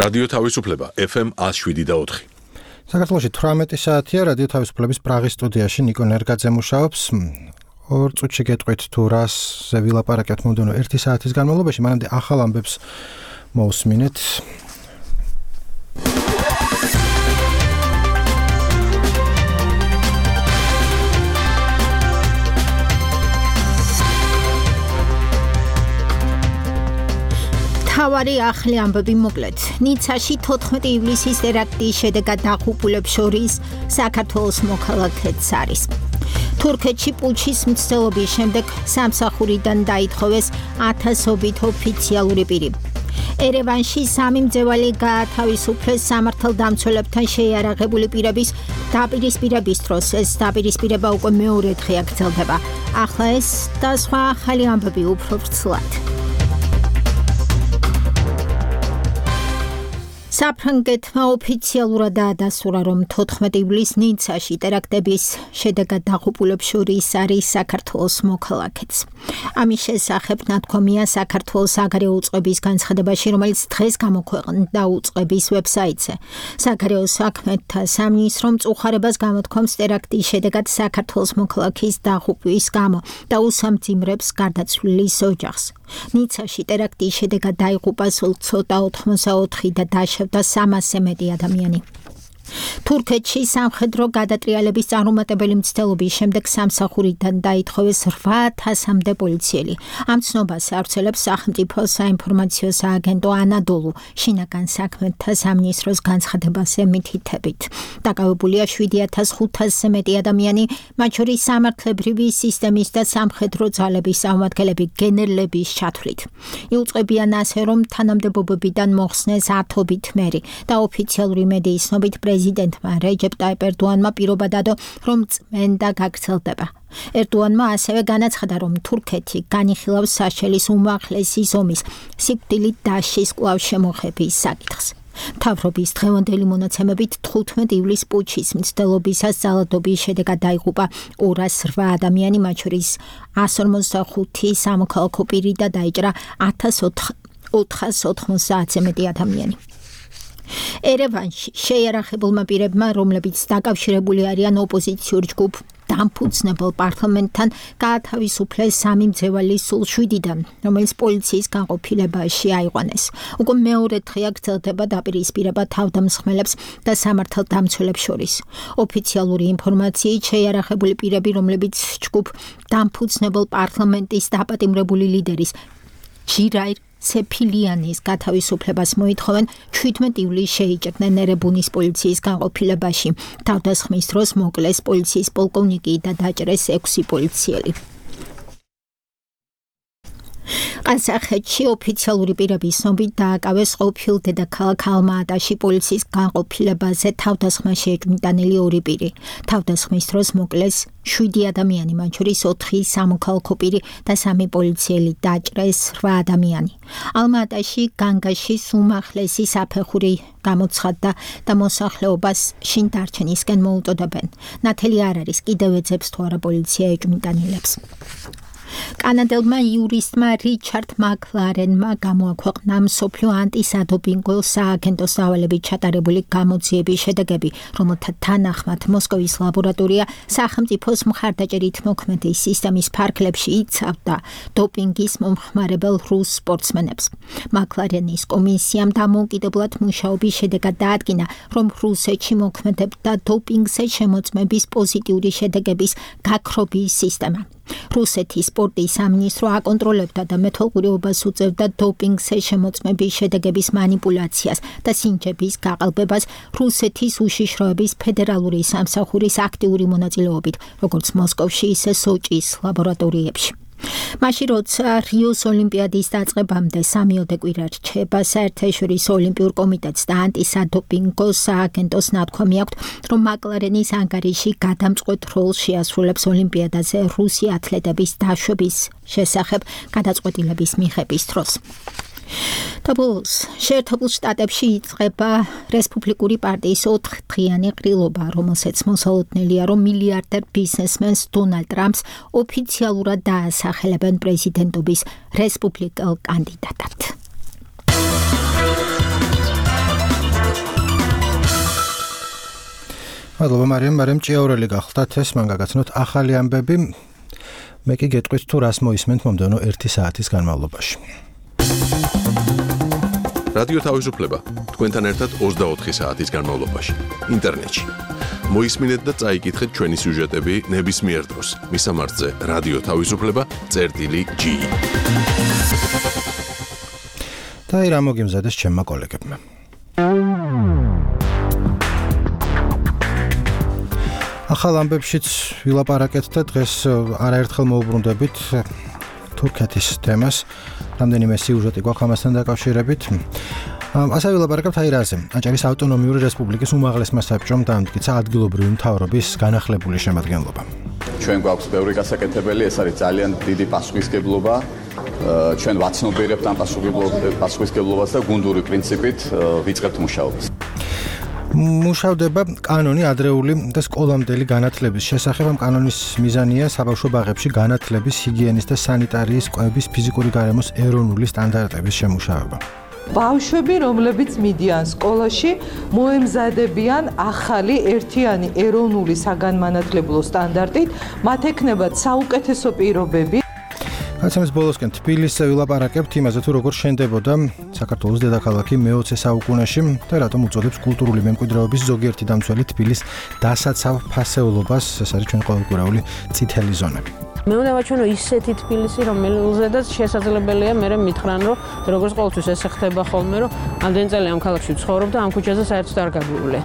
რადიო თავისუფლება FM 107.4. საქართველოში 18 საათია რადიო თავისუფლების პრაღის სტუდიაში ნიკო ნერგაძე მუშაობს. 2 წუთში გეტყვით თუ რასზე ვილაპარაკებთ მომდევნო 1 საათის განმავლობაში, მანამდე ახალ ამბებს მოусმინეთ. თავარი ახალი ამბები მოკლედ. ნიცაში 14 ივლისის ტერაქტის შედეგად დაღუპულებს შორის საქართველოს მოქალაქეც არის. თურქეთში პუჩის მცდელობის შემდეგ სამსახურიდან დაითხოვეს 1000-ობით ოფიციალური პირი. ერევანში 3 მძევალი გაათავისუფლეს სამართალდამცველებთან შეიარაღებული პირების დაპირისპირების დროს. ეს დაპირისპირება უკვე მეორე დღეა გრძელდება. ახლა ეს და სხვა ახალი ამბები უფრო ვრცლად. საფრანგეთმა ოფიციალურად დაადასტურა, რომ 14 ივლისს ნიცაში ტერაქტების შედეგად დაღუპულებს შორის არის საქართველოს მოქალაქეც. ამის შესახებ ნათქვამია საქართველოს საგარეო უწყების განცხადებაში, რომელიც დღეს გამოქვეყნდა უწყების ვებსაიტზე. საგარეო საქმეთა სამინისტრო მწუხარებას გამოთქვამს ტერაქტის შედეგად საქართველოს მოქალაქის დაღუპვის გამო და უსამძიმრებს გარდაცვლილის ოჯახს. ნიცაში ტერაქტის შედეგად დაიღუპა სულ ცოტა 84 და დაშავდა 300-ზე მეტი ადამიანი. თურქეთში სამხედრო გადატრიალების წარუმატებელი მცდელობის შემდეგ სამსახურიდან დაითხოვეს 8000-მდე პოლიციელი. ამ ცნობას ავრცელებს სახელმწიფო საინფორმაციო სააგენტო ანადოლუ შინაგან საქმეთა სამინისტროს განცხადებაზე მითითებით. დაკავებულია 7500-ზე მეტი ადამიანი, მათ შორის სამართლებრივი სისტემის და სამხედრო ძალების წარმომადგენლები გენერლების ჩათვლით. იუწყებიან ასე, რომ თანამდებობებიდან მოხსნეს 1000-ობით მერი და ოფიციალური მედიის ცნობით პრეზიდენტმა რეჯეპ ტაიპ ერდოანმა პირობა დადო, რომ წმენდა გაგრძელდება. ერდოანმა ასევე განაცხადა, რომ თურქეთი განიხილავს საშელის უმაღლესი ზომის სიკვდილით დაშლის კვლავ შემოღების საკითხს. მთავრობის დღევანდელი მონაცემებით 15 ივლისს პუჩის მცდელობისას ძალადობის შედეგად დაიღუპა 208 ადამიანი, მათ შორის 155 სამოქალაქო პირი და დაიჭრა 1490-ზე მეტი ადამიანი. ერევანში შეიარაღებულმა პირებმა, რომლებიც დაკავშირებული არიან ოპოზიციურ ჯგუფ დამფუძნებელ პარლამენტთან, გაათავისუფლეს 3 მძევალი სულ 7-დან, რომელიც პოლიციის განყოფილებაში აიყვანეს. უკვე მეორე დღეა გრძელდება დაპირისპირება თავდამსხმელებს და სამართალდამცველებს შორის. ოფიციალური ინფორმაციით შეიარაღებული პირები, რომლებიც ჯგუფ დამფუძნებელ პარლამენტის დაპატიმრებული ლიდერის ჯირაირ ცეფილიანის გათავისუფლებას მოითხოვენ, 17 ივლისს შეიჭრნენ ერებუნის პოლიციის განყოფილებაში. თავდასხმის დროს მოკლეს პოლიციის პოლკოვნიკი და დაჭრეს 6 პოლიციელი. ყაზახეთში ოფიციალური პირების ცნობით დააკავეს ყოფილ დედაქალაქ ალმა-ატაში პოლიციის განყოფილებაზე თავდასხმაში ეჭვმიტანილი 2 პირი. თავდასხმის დროს მოკლეს 7 ადამიანი, მათ შორის 4 სამოქალაქო პირი და 3 პოლიციელი, დაჭრეს 8 ადამიანი. ალმა-ატაში განგაშის უმაღლესი საფეხური გამოცხადდა და მოსახლეობას შინ დარჩენისკენ მოუწოდებენ. ნათელი არ არის, კიდევ ეძებს თუ არა პოლიცია ეჭვმიტანილებს. კანადელმა იურისტმა რიჩარდ მაკლარენმა გამოაქვეყნა მსოფლიო ანტისადოპინგო სააგენტოს დავალებით ჩატარებული გამოძიების შედეგები, რომელთა თანახმად მოსკოვის ლაბორატორია სახელმწიფოს მხარდაჭერით მოქმედი სისტემის ფარგლებში იცავდა დოპინგის მომხმარებელ რუს სპორტსმენებს. მაკლარენის კომისიამ დამოუკიდებლად მუშაობის შედეგად დაადგინა, რომ რუსეთში მოქმედებდა დოპინგზე შემოწმების პოზიტიური შედეგების გაქრობის სისტემა. რუსეთის სპორტის სამინისტრო აკონტროლებდა და მეთვალყურეობას უწევდა დოპინგზე შემოწმების შედეგების მანიპულაციას და სინჯების გაყალბებას რუსეთის უშიშროების ფედერალური სამსახურის აქტიური მონაწილეობით, როგორც მოსკოვში, ისე სოჭის ლაბორატორიებში. მაშინ როცა რიოს ოლიმპიადის დაწყებამდე 3 კვირა რჩება, საერთაშორისო ოლიმპიურ კომიტეტს და ანტისადოპინგო სააგენტოს ნათქვამი აქვთ, რომ მაკლარენის ანგარიში გადამწყვეტ როლს შეასრულებს ოლიმპიადაზე რუსი ათლეტების დაშვების შესახებ გადაწყვეტილების მიღების დროს. Tabels, შეერთებულ შტატებში იწყება რესპუბლიკური პარტიის 4-დღიანი ყრილობა, რომელსაც მოსალოდნელია, რომ მილიარდერ ბიზნესმენს დონალდ ტრამპს ოფიციალურად დაასახელებენ პრეზიდენტობის რესპუბლიკელ კანდიდატად. მადლობა მარიამ ჭიაურელი გახლდათ ეს მან გაგაცნოთ ახალი ამბები. მე კი გეტყვით თუ რას მოისმენთ მომდევნო 1 საათის განმავლობაში. რადიო თავისუფლება თქვენთან ერთად 24 საათის განმავლობაში ინტერნეტში. მოისმინეთ და წაიკითხეთ ჩვენი სიუჟეტები ნებისმიერ დროს. მისამართზე რადიო თავისუფლება.gi. და რა მოგიმზადეს ჩემმა კოლეგებმა. ახალ ამბებშიც ვილაპარაკეთ და დღეს არაერთხელ მოუბრუნდებით თურქეთის თემას. რამდენიმე სიუჟეტი გვაქვს ამასთან დაკავშირებით. ასე ვილაპარაკებთ რაზე. აჭარის ავტონომიური რესპუბლიკის უმაღლესმა საბჭომ დაამტკიცა ადგილობრივი მთავრობის განახლებული შემადგენლობა. ჩვენ გვაქვს ბევრი გასაკეთებელი, ეს არის ძალიან დიდი პასუხისმგებლობა. ჩვენ ვაცნობიერებთ ამ პასუხისმგებლობას და გუნდური პრინციპით ვიწყებთ მუშაობას. მუშავდება კანონი ადრეული და სკოლამდელი განათლების შესახებ. ამ კანონის მიზანია საბავშვო ბაღებში განათლების, ჰიგიენის და სანიტარიის კვების ფიზიკური გარემოს ეროვნული სტანდარტების შემუშავება. ბავშვები, რომლებიც მიდიან სკოლაში, მოემზადებიან ახალი ერთიანი ეროვნული საგანმანათლებლო სტანდარტით, მათ ექნებათ საუკეთესო პირობები. გაცემის ბოლოსკენ თბილისზე ვილაპარაკებთ იმაზე, თუ როგორ შენდებოდა საქართველოს დედაქალაქი მე-20 საუკუნეში და რატომ უწოდებს კულტურული მემკვიდრეობის ზოგიერთი დამცველი თბილის დასაცავ ფასეულობას. ეს არის ჩვენ ყოველკვირეული წითელი ზონა. მე უნდა ვაჩვენო ისეთი თბილისი, რომელზედაც შესაძლებელია მე მითხრან, რომ როგორც ყოველთვის ესე ხდება ხოლმე, რომ ამდენი წელი ამ ქალაქში ვცხოვრობ და ამ ქუჩაზე საერთოდ არ გაგვივლე.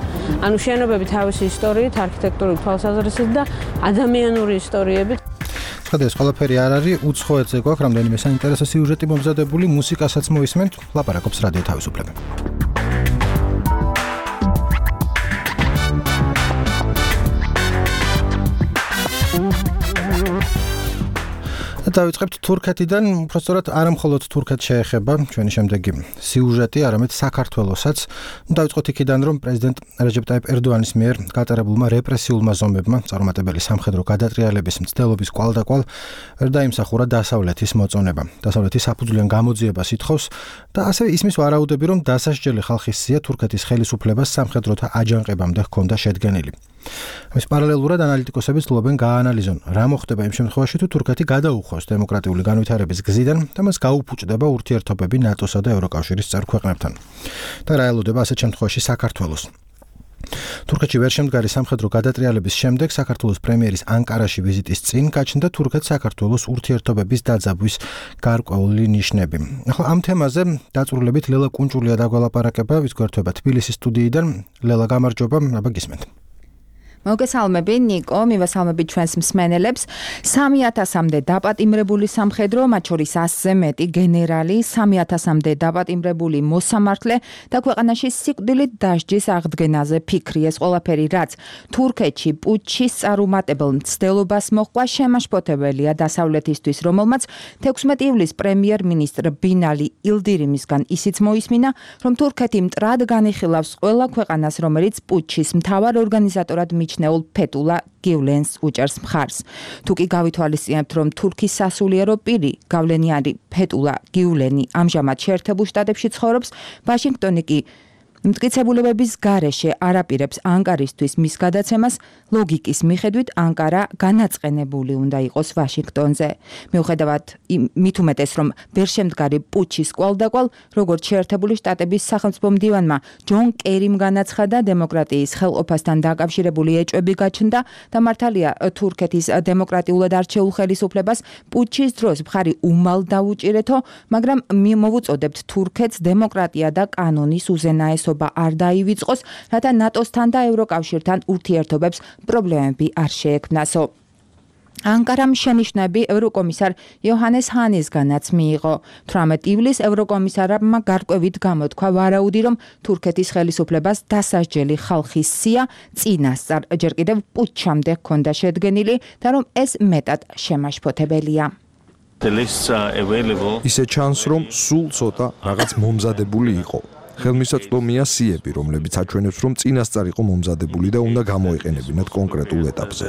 ანუ შენობები თავისი ისტორიით, არქიტექტურული თვალსაზრისით და ადამიანური ისტორიებით. ეს ყველაფერი არ არის, უცხოეთზე გვაქვს რამდენიმე საინტერესო სიუჟეტი მომზადებული, მუსიკასაც მოისმენთ, ლაპარაკობს რადიო თავისუფლება. დავიწყებთ თურქეთიდან, უბრალოდ არა მხოლოდ თურქეთს შეეხება ჩვენი შემდეგი სიუჟეტი, არამედ საქართველოსაც. დავიწყოთ იქიდან, რომ პრეზიდენტ რეჯეპ ტაიპ ერდოანის მიერ გატარებულმა რეპრესიულმა ზომებმა წარუმატებელი სამხედრო გადატრიალების მცდელობის კვალდაკვალ ვერ დაიმსახურა დასავლეთის მოწონება. დასავლეთის საფუძვლიან გამოძიებას ითხოვს და ასევე ისმის ვარაუდები, რომ დასასჯელი ხალხის სია თურქეთის ხელისუფლებას სამხედროთა აჯანყებამდე ჰქონდა შედგენილი. ამის პარალელურად ანალიტიკოსები ცდილობენ გააანალიზონ, რა მოხდება იმ შემთხვევაში, თუ თურქეთი გადაუხოს დემოკრატიული განვითარების გზიდან და მას გაუფუჭდება ურთიერთობები ნატოსა და ევროკავშირის წევრ ქვეყნებთან. და რა ელოდება ასეთ შემთხვევაში საქართველოს. თურქეთში ვერ შემდგარი სამხედრო გადატრიალების შემდეგ საქართველოს პრემიერის ანკარაში ვიზიტის წინ გაჩნდა თურქეთ-საქართველოს ურთიერთობების დაძაბვის გარკვეული ნიშნები. ახლა ამ თემაზე დაწვრილებით ლელა კუნჭულია დაგვალაპარაკება, ვის გვერდება თბილისის სტუდიიდან. ლელა, გამარჯობა, აბა გისმენთ. მოგესალმები ნიკო, მივესალმები ჩვენს მსმენელებს. 3000-მდე დაპატიმრებული სამხედრო, მათ შორის 100-ზე მეტი გენერალი, 3000-მდე დაპატიმრებული მოსამართლე და ქვეყანაში სიკვდილით დასჯის აღდგენაზე ფიქრი. ეს ყველაფერი, რაც თურქეთში პუტჩის წარუმატებელ მცდელობას მოჰყვა, შემაშფოთებელია დასავლეთისთვის, რომელმაც 16 ივლისს პრემიერ-მინისტრ ბინალი ილდირიმისგან ისიც მოისმინა, რომ თურქეთი მტრად განიხილავს ყველა ქვეყანას, რომელიც პუტჩის მთავარ ორგანიზატორად მიჩნეულ ფეტულა გიულენს უჭერს მხარს. თუ კი გავითვალისწინებთ, რომ თურქის სასულიერო პირი, გავლენიანი ფეტულა გიულენი ამჟამად შეერთებულ შტატებში ცხოვრობს, ვაშინგტონი კი მტკიცებულებების გარეშე არაპირებს ანკარისთვის მის გადაცემას, ლოგიკის მიხედვით ანკარა განაწყენებული უნდა იყოს ვაშინგტონზე. მიუხედავად მით უმეტეს, რომ ვერ შემდგარი პუტჩის კვალდაკვალ, როგორც შეერთებული შტატების სახელმწიფო მდივანმა ჯონ კერიმ განაცხადა, დემოკრატიის ხელყოფასთან დაკავშირებული ეჭვები გაჩნდა და მართალია თურქეთის დემოკრატიულად არჩეულ ხელისუფლებას პუტჩის დროს მხარი უმალ დაუჭირეთო, მაგრამ მოვუწოდებთ თურქეთს დემოკრატია და კანონის უზენაესობა არ დაივიწყოს, რათა ნატოსთან და ევროკავშირთან ურთიერთობებს პრობლემები არ შეექმნასო. ანკარამ შენიშვნები ევროკომისარ იოჰანეს ჰანისგანაც მიიღო. 18 ივლისს ევროკომისარმა გარკვევით გამოთქვა ვარაუდი, რომ თურქეთის ხელისუფლებას დასასჯელი ხალხის სია წინასწარ ჯერ კიდევ პუტჩამდე ჰქონდა შედგენილი და რომ ეს მეტად შემაშფოთებელია. ისე ჩანს, რომ სულ ცოტა რაღაც მომზადებული იყო. ხელმისაწვდომია სიები, რომლებიც აჩვენებს, რომ წინასწარ იყო მომზადებული და უნდა გამოიყენებინათ კონკრეტულ ეტაპზე.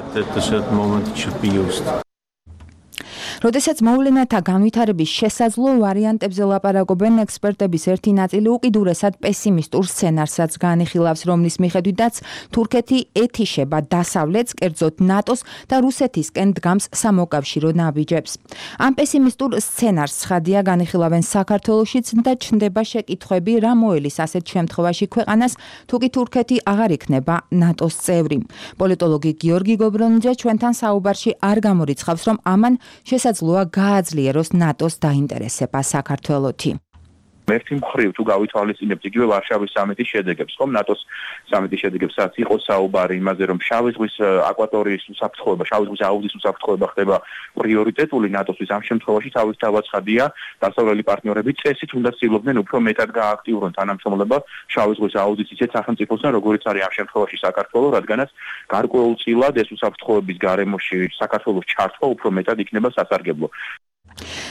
როდესაც მოვლენათა განვითარების შესაძლო ვარიანტებზე ლაპარაკობენ, ექსპერტების ერთი ნაწილი უკიდურესად პესიმისტურ სცენარსაც განიხილავს, რომლის მიხედვითაც თურქეთი ეთიშება დასავლეთს, კერძოდ ნატოს და რუსეთისკენ დგამს სამოკავშირო ნაბიჯებს. ამ პესიმისტურ სცენარს ცხადია განიხილავენ საქართველოშიც და ჩნდება შეკითხვები, რა მოელის ასეთ შემთხვევაში ქვეყანას, თუ კი თურქეთი აღარ იქნება ნატოს წევრი. პოლიტოლოგი გიორგი გობრონიძე ჩვენთან საუბარში არ გამორიცხავს, რომ ამან შესაძლოა გააძლიეროს ნატოს დაინტერესება საქართველოთი. ერთი მხრივ თუ გავითვალისწინებთ იგივე ვარშავის სამიტის შედეგებს, ხომ ნატოს სამიტის შედეგებსაც იყო საუბარი იმაზე, რომ შავი ზღვის აკვატორიის უსაფრთხოება, შავი ზღვის აუზის უსაფრთხოება ხდება პრიორიტეტული ნატოსთვის. ამ შემთხვევაში თავის თავაცხადია დასავლელი პარტნიორები წესით უნდა ცდილობდნენ უფრო მეტად გააქტიურონ თანამშრომლობა შავი ზღვის აუზის ისეთ სახელმწიფოსთან, როგორც არის ამ შემთხვევაში საქართველო, რადგანაც გარკვეულწილად ეს უსაფრთხოების გარემოში საქართველოს ჩართვა უფრო მეტად იქნება სასარგებლო.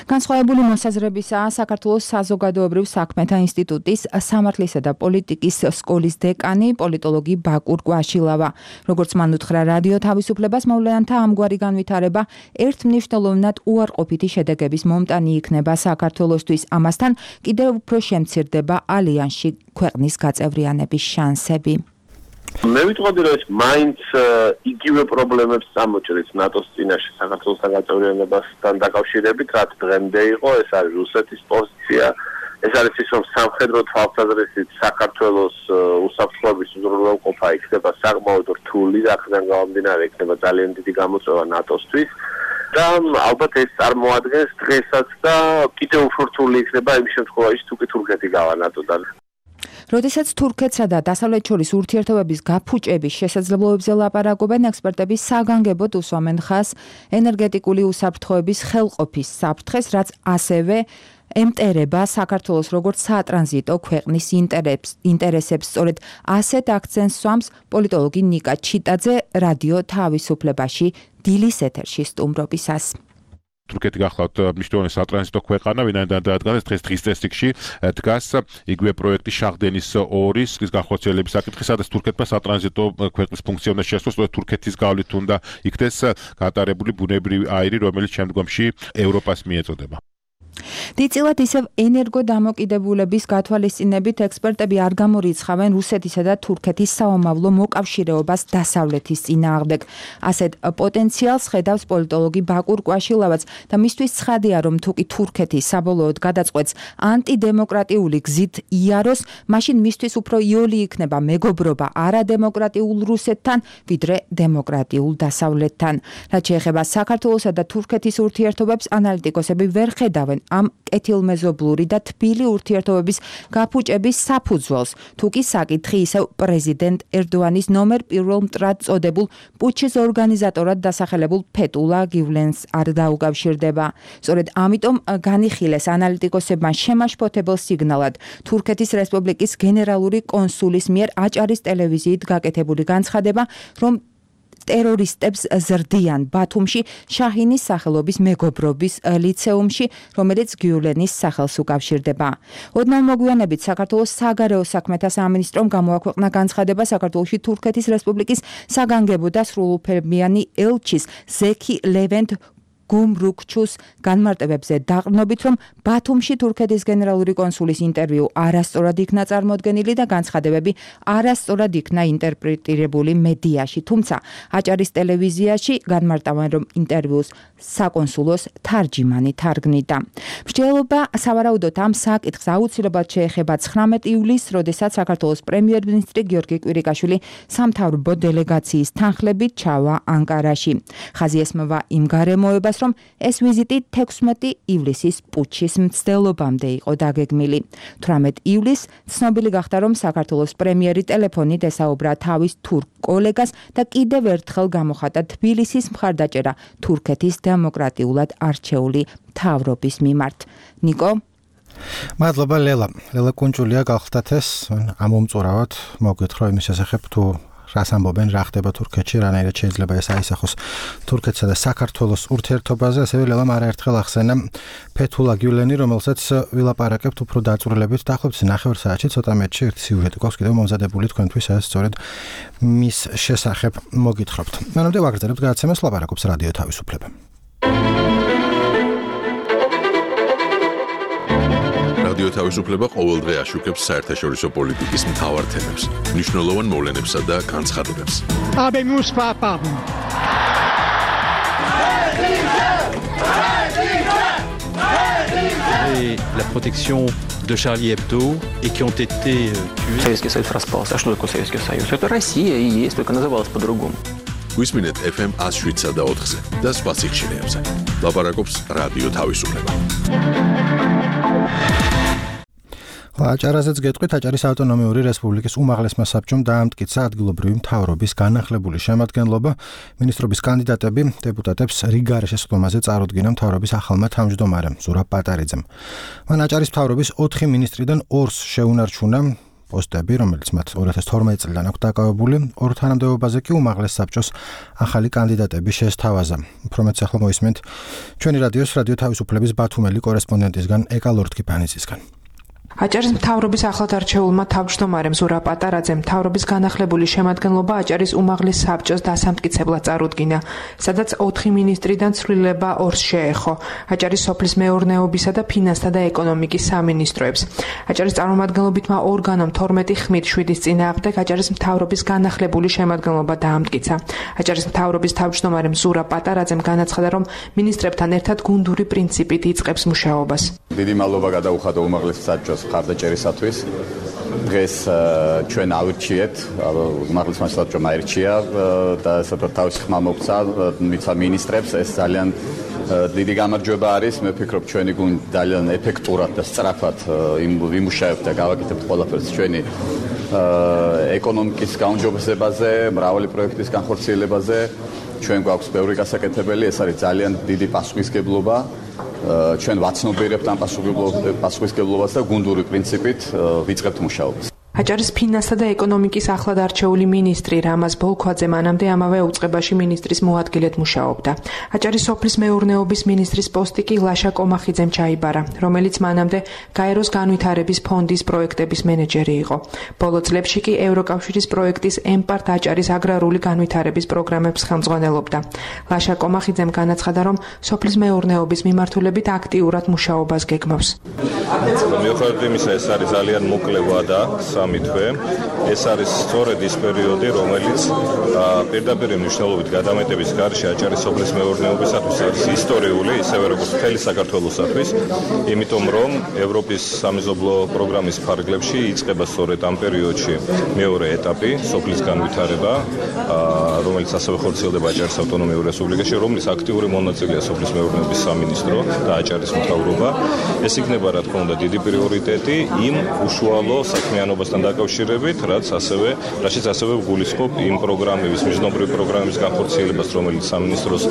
განსხვავებული მოსაზრებისაა საქართველოს საზოგადოებრივ საქმეთა ინსტიტუტის სამართლისა და პოლიტიკის სკოლის დეკანი პოლიტოლოგი ბაკურ კვაშილავა. როგორც მან უთხრა რადიო თავისუფლებას, მოვლენათა ამგვარი განვითარება ერთმნიშვნელოვნად უარყოფითი შედეგების მომტანი იქნება საქართველოსთვის. ამასთან კიდევ უფრო შემცირდება ალიანსში ქვეყნის გაწევრიანების შანსები. მე ვიტყოდი, რომ ეს მაინც იგივე პრობლემებს წამოჭრით ნატოს წინაშე საქართველოს გაწევრიანებასთან დაკავშირებით, რაც დღემდე იყო, ეს არის რუსეთის პოზიცია, ეს არის ის, რომ სამხედრო თვალსაზრისით საქართველოს უსაფრთხოების უზრუნველყოფა იქნება საკმაოდ რთული, აქედან გამომდინარე იქნება ძალიან დიდი გამოწვევა ნატოსთვის. და ალბათ ეს წარმოადგენს დღესაც და კიდევ უფრო რთული იქნება იმ შემთხვევაში, თუ კი თურქეთი გავა ნატოდან. როდესაც თურქეთსა და დასავლეთ შორის ურთიერთობების გაფუჭების შესაძლებლობებზე ლაპარაკობენ, ექსპერტები საგანგებოდ უსვამენ ხაზს ენერგეტიკული უსაფრთხოების ხელყოფის საფრთხეს, რაც ასევე ემტერება საქართველოს როგორც სატრანზიტო ქვეყნის ინტერესებს. სწორედ ასეთ აქცენტს სვამს პოლიტოლოგი ნიკა ჩიტაძე რადიო თავისუფლებაში დილის ეთერში სტუმრობისას. თურქეთი გახლავთ მნიშვნელოვანი სატრანზიტო ქვეყანა, ვინაიდან დადგანეს დღის წესრიგში დგას იგივე პროექტი შაღდენის 2-ის განხორციელების საკითხი, სადაც თურქეთმა სატრანზიტო ქვეყნის ფუნქცია უნდა შეასრულოს, სწორედ თურქეთის გავლით უნდა იქნეს გატარებული ბუნებრივი აირი, რომელიც შემდგომში ევროპას მიეწოდება. დიდწილად ისევ ენერგოდამოკიდებულების გათვალისწინებით ექსპერტები არ გამორიცხავენ რუსეთისა და თურქეთის საომავლო მოკავშირეობას დასავლეთის წინააღმდეგ. ასეთ პოტენციალს ხედავს პოლიტოლოგი ბაკურ კვაშილავაც და მისთვის ცხადია, რომ თუ კი თურქეთი საბოლოოდ გადაწყვეტს ანტიდემოკრატიული გზით იაროს, მაშინ მისთვის უფრო იოლი იქნება მეგობრობა არადემოკრატიულ რუსეთთან, ვიდრე დემოკრატიულ დასავლეთთან. რაც შეეხება საქართველოსა და თურქეთის ურთიერთობებს, ანალიტიკოსები ვერ ხედავენ ამ კეთილმეზობლური და თბილი ურთიერთობების გაფუჭების საფუძველს, თუ კი საკითხი ისევ პრეზიდენტ ერდოანის ნომერ პირველ მტრად წოდებულ პუჩის ორგანიზატორად დასახელებულ ფეტულა გივლენს არ დაუკავშირდება. სწორედ ამიტომ განიხილეს ანალიტიკოსებმა შემაშფოთებელ სიგნალად თურქეთის რესპუბლიკის გენერალური კონსულის მიერ აჭარის ტელევიზიით გაკეთებული განცხადება, რომ ტერორისტებს ზრდიან ბათუმში შაჰინის სახელობის მეგობრობის ლიცეუმში, რომელიც გიულენის სახელს უკავშირდება. ოდნავ მოგვიანებით საქართველოს საგარეო საქმეთა სამინისტრომ გამოაქვეყნა განცხადება საქართველოში თურქეთის რესპუბლიკის საგანგებო და სრულუფლებიანი ელჩის ზექი ლევენტ გუმრუქჩუს განმარტებებზე დაყრდნობით, რომ ბათუმში თურქეთის გენერალური კონსულის ინტერვიუ არასწორად იქნა წარმოდგენილი და განცხადებები არასწორად იქნა ინტერპრეტირებული მედიაში, თუმცა აჭარის ტელევიზიაში განმარტავენ, რომ ინტერვიუს საკონსულოს თარჯიმანი თარგმნიდა. მსჯელობა სავარაუდოდ ამ საკითხს აუცილებლად შეეხება 19 ივლისს, როდესაც საქართველოს პრემიერ-მინისტრი გიორგი კვირიკაშვილი სამთავრობო დელეგაციის თანხლებით ჩავა ანკარაში. ხაზი ესმევა იმ გარემოებას, რომ ეს ვიზიტი 16 ივლისის პუჩის მცდელობამდე იყო დაგეგმილი. 18 ივლისს ცნობილი გახდა, რომ საქართველოს პრემიერი ტელეფონით ესაუბრა თავის თურქ კოლეგას და კიდევ ერთხელ გამოხატა თბილისის მხარდაჭერა თურქეთის დემოკრატიულად არჩეული მთავრობის მიმართ. ნიკო, მადლობა ლელა. ლელა კუნჭულია გახლდათ ეს ამომწურავად მოგეთხრა იმის შესახებ თუ რას ამბობენ, რა ხდება თურქეთში, რანაირად შეიძლება ეს აისახოს თურქეთსა და საქართველოს ურთიერთობაზე, ასევე ლელამ არაერთხელ ახსენა ფეთულა გიულენი, რომელსაც ვილაპარაკებთ უფრო დაწვრილებით. დაახლოებით 9 საათში ცოტა მეტში ერთი სიუჟეტი გვაქვს კიდევ მომზადებული თქვენთვის, სადაც სწორედ მის შესახებ მოგითხრობთ. მანამდე ვაგრძელებთ გადაცემას, ლაპარაკობს რადიო თავისუფლება. რადიო თავისუფლება ყოველდღე აშუქებს საერთაშორისო პოლიტიკის მთავარ თემებს, მნიშვნელოვან მოვლენებსა და განცხადებებს. La protection de Charlie Hebdo et qui ont été tués. Советский Союз распался. А что такое Советский Союз? Это Россия и есть, только называлась по-другому. გვისმინეთ FM 107 და 4-ზე და სხვა სიხშირეებზე. ლაპარაკობს რადიო თავისუფლება. აჭარაზეც გეტყვით, აჭარის ავტონომიური რესპუბლიკის უმაღლესმა საბჭომ დაამტკიცა ადგილობრივი მთავრობის განახლებული შემადგენლობა. მინისტრობის კანდიდატები დეპუტატებს რიგარ შესყდომაზე წარუდგინა მთავრობის ახალმა თავმჯდომარემ ზურაბ პატარიძემ. მან აჭარის მთავრობის 4 მინისტრიდან 2-ს შეუნარჩუნა პოსტები, რომელიც მათ 2012 წლიდან აქვს დაკავებული. 2 თანამდებობაზე კი უმაღლეს საბჭოს ახალი კანდიდატები შესთავაზა. უფრო მეტს ახლა მოისმენთ ჩვენი რადიოს რადიო თავისუფლების ბათუმელი კორესპონდენტისგან ეკა ლორთქიფანიძისგან. აჭარის მთავრობის ახლად არჩეულმა თავმჯდომარემ ზურაბ პატარაძემ მთავრობის განახლებული შემადგენლობა აჭარის უმაღლეს საბჭოს დასამტკიცებლად წარუდგინა, სადაც 4 მინისტრიდან ცვლილება 2-ს შეეხო, აჭარის სოფლის მეურნეობისა და ფინანსთა და ეკონომიკის სამინისტროებს. აჭარის წარმომადგენლობითმა ორგანომ 12 ხმით 7-ის წინააღმდეგ აჭარის მთავრობის განახლებული შემადგენლობა დაამტკიცა. აჭარის მთავრობის თავმჯდომარემ ზურაბ პატარაძემ განაცხადა, რომ მინისტრებთან ერთად გუნდური პრინციპით იწყებს მუშაობას. დიდი მადლობა გადაუხადა უმაღლეს საბჭოს მხარდაჭერისათვის. დღეს ჩვენ ავირჩიეთ, უმაღლეს საბჭომ აირჩია და საერთოდ თავისი ხმა მოგცა მიცა მინისტრებს, ეს ძალიან დიდი გამარჯვება არის. მე ვფიქრობ, ჩვენი გუნდი ძალიან ეფექტურად და სწრაფად იმუშავებთ და გავაკეთებთ ყველაფერს ჩვენი ეკონომიკის გაუმჯობესებაზე, მრავალი პროექტის განხორციელებაზე. ჩვენ გვაქვს ბევრი გასაკეთებელი, ეს არის ძალიან დიდი პასუხისმგებლობა. ჩვენ ვაცნობიერებთ ამ პასუხისმგებლობას და გუნდური პრინციპით ვიწყებთ მუშაობას. აჭარის ფინანსთა და ეკონომიკის ახლად არჩეული მინისტრი რამაზ ბოლქვაძე მანამდე ამავე უწყებაში მინისტრის მოადგილედ მუშაობდა. აჭარის სოფლის მეურნეობის მინისტრის პოსტი კი ლაშა კომახიძემ ჩაიბარა, რომელიც მანამდე გაეროს განვითარების ფონდის პროექტების მენეჯერი იყო. ბოლო წლებში კი ევროკავშირის პროექტის ემპარტ აჭარის აგრარული განვითარების პროგრამებს ხელმძღვანელობდა. ლაშა კომახიძემ განაცხადა, რომ სოფლის მეურნეობის მიმართულებით აქტიურად მუშაობას გეგმავს. მიუხედავად იმისა, ეს არის ძალიან მოკლე ვადა, თვე. ეს არის სწორედ ის პერიოდი, რომელიც პირდაპირ მნიშვნელობით გადამეტების გარშე აჭარის სოფლის მეურნეობისათვის არის ისტორიული, ისევე როგორც მთელი საქართველოსათვის, იმიტომ რომ ევროპის სამეზობლო პროგრამის ფარგლებში იწყება სწორედ ამ პერიოდში მეორე ეტაპი, სოფლის განვითარება, რომელიც ასევე ხორციელდება აჭარის ავტონომიურ რესპუბლიკაში, რომლის აქტიური მონაწილეა სოფლის მეურნეობის სამინისტრო და აჭარის მთავრობა. ეს იქნება, რა თქმა უნდა, დიდი პრიორიტეტი იმ უშუალო საქმიანობასთან დაკავშირებით, რაშიც ასევე გულისხმობ იმ პროგრამების, միջნობრივი პროგრამების განხორციელებას, რომელიც სამინისტროს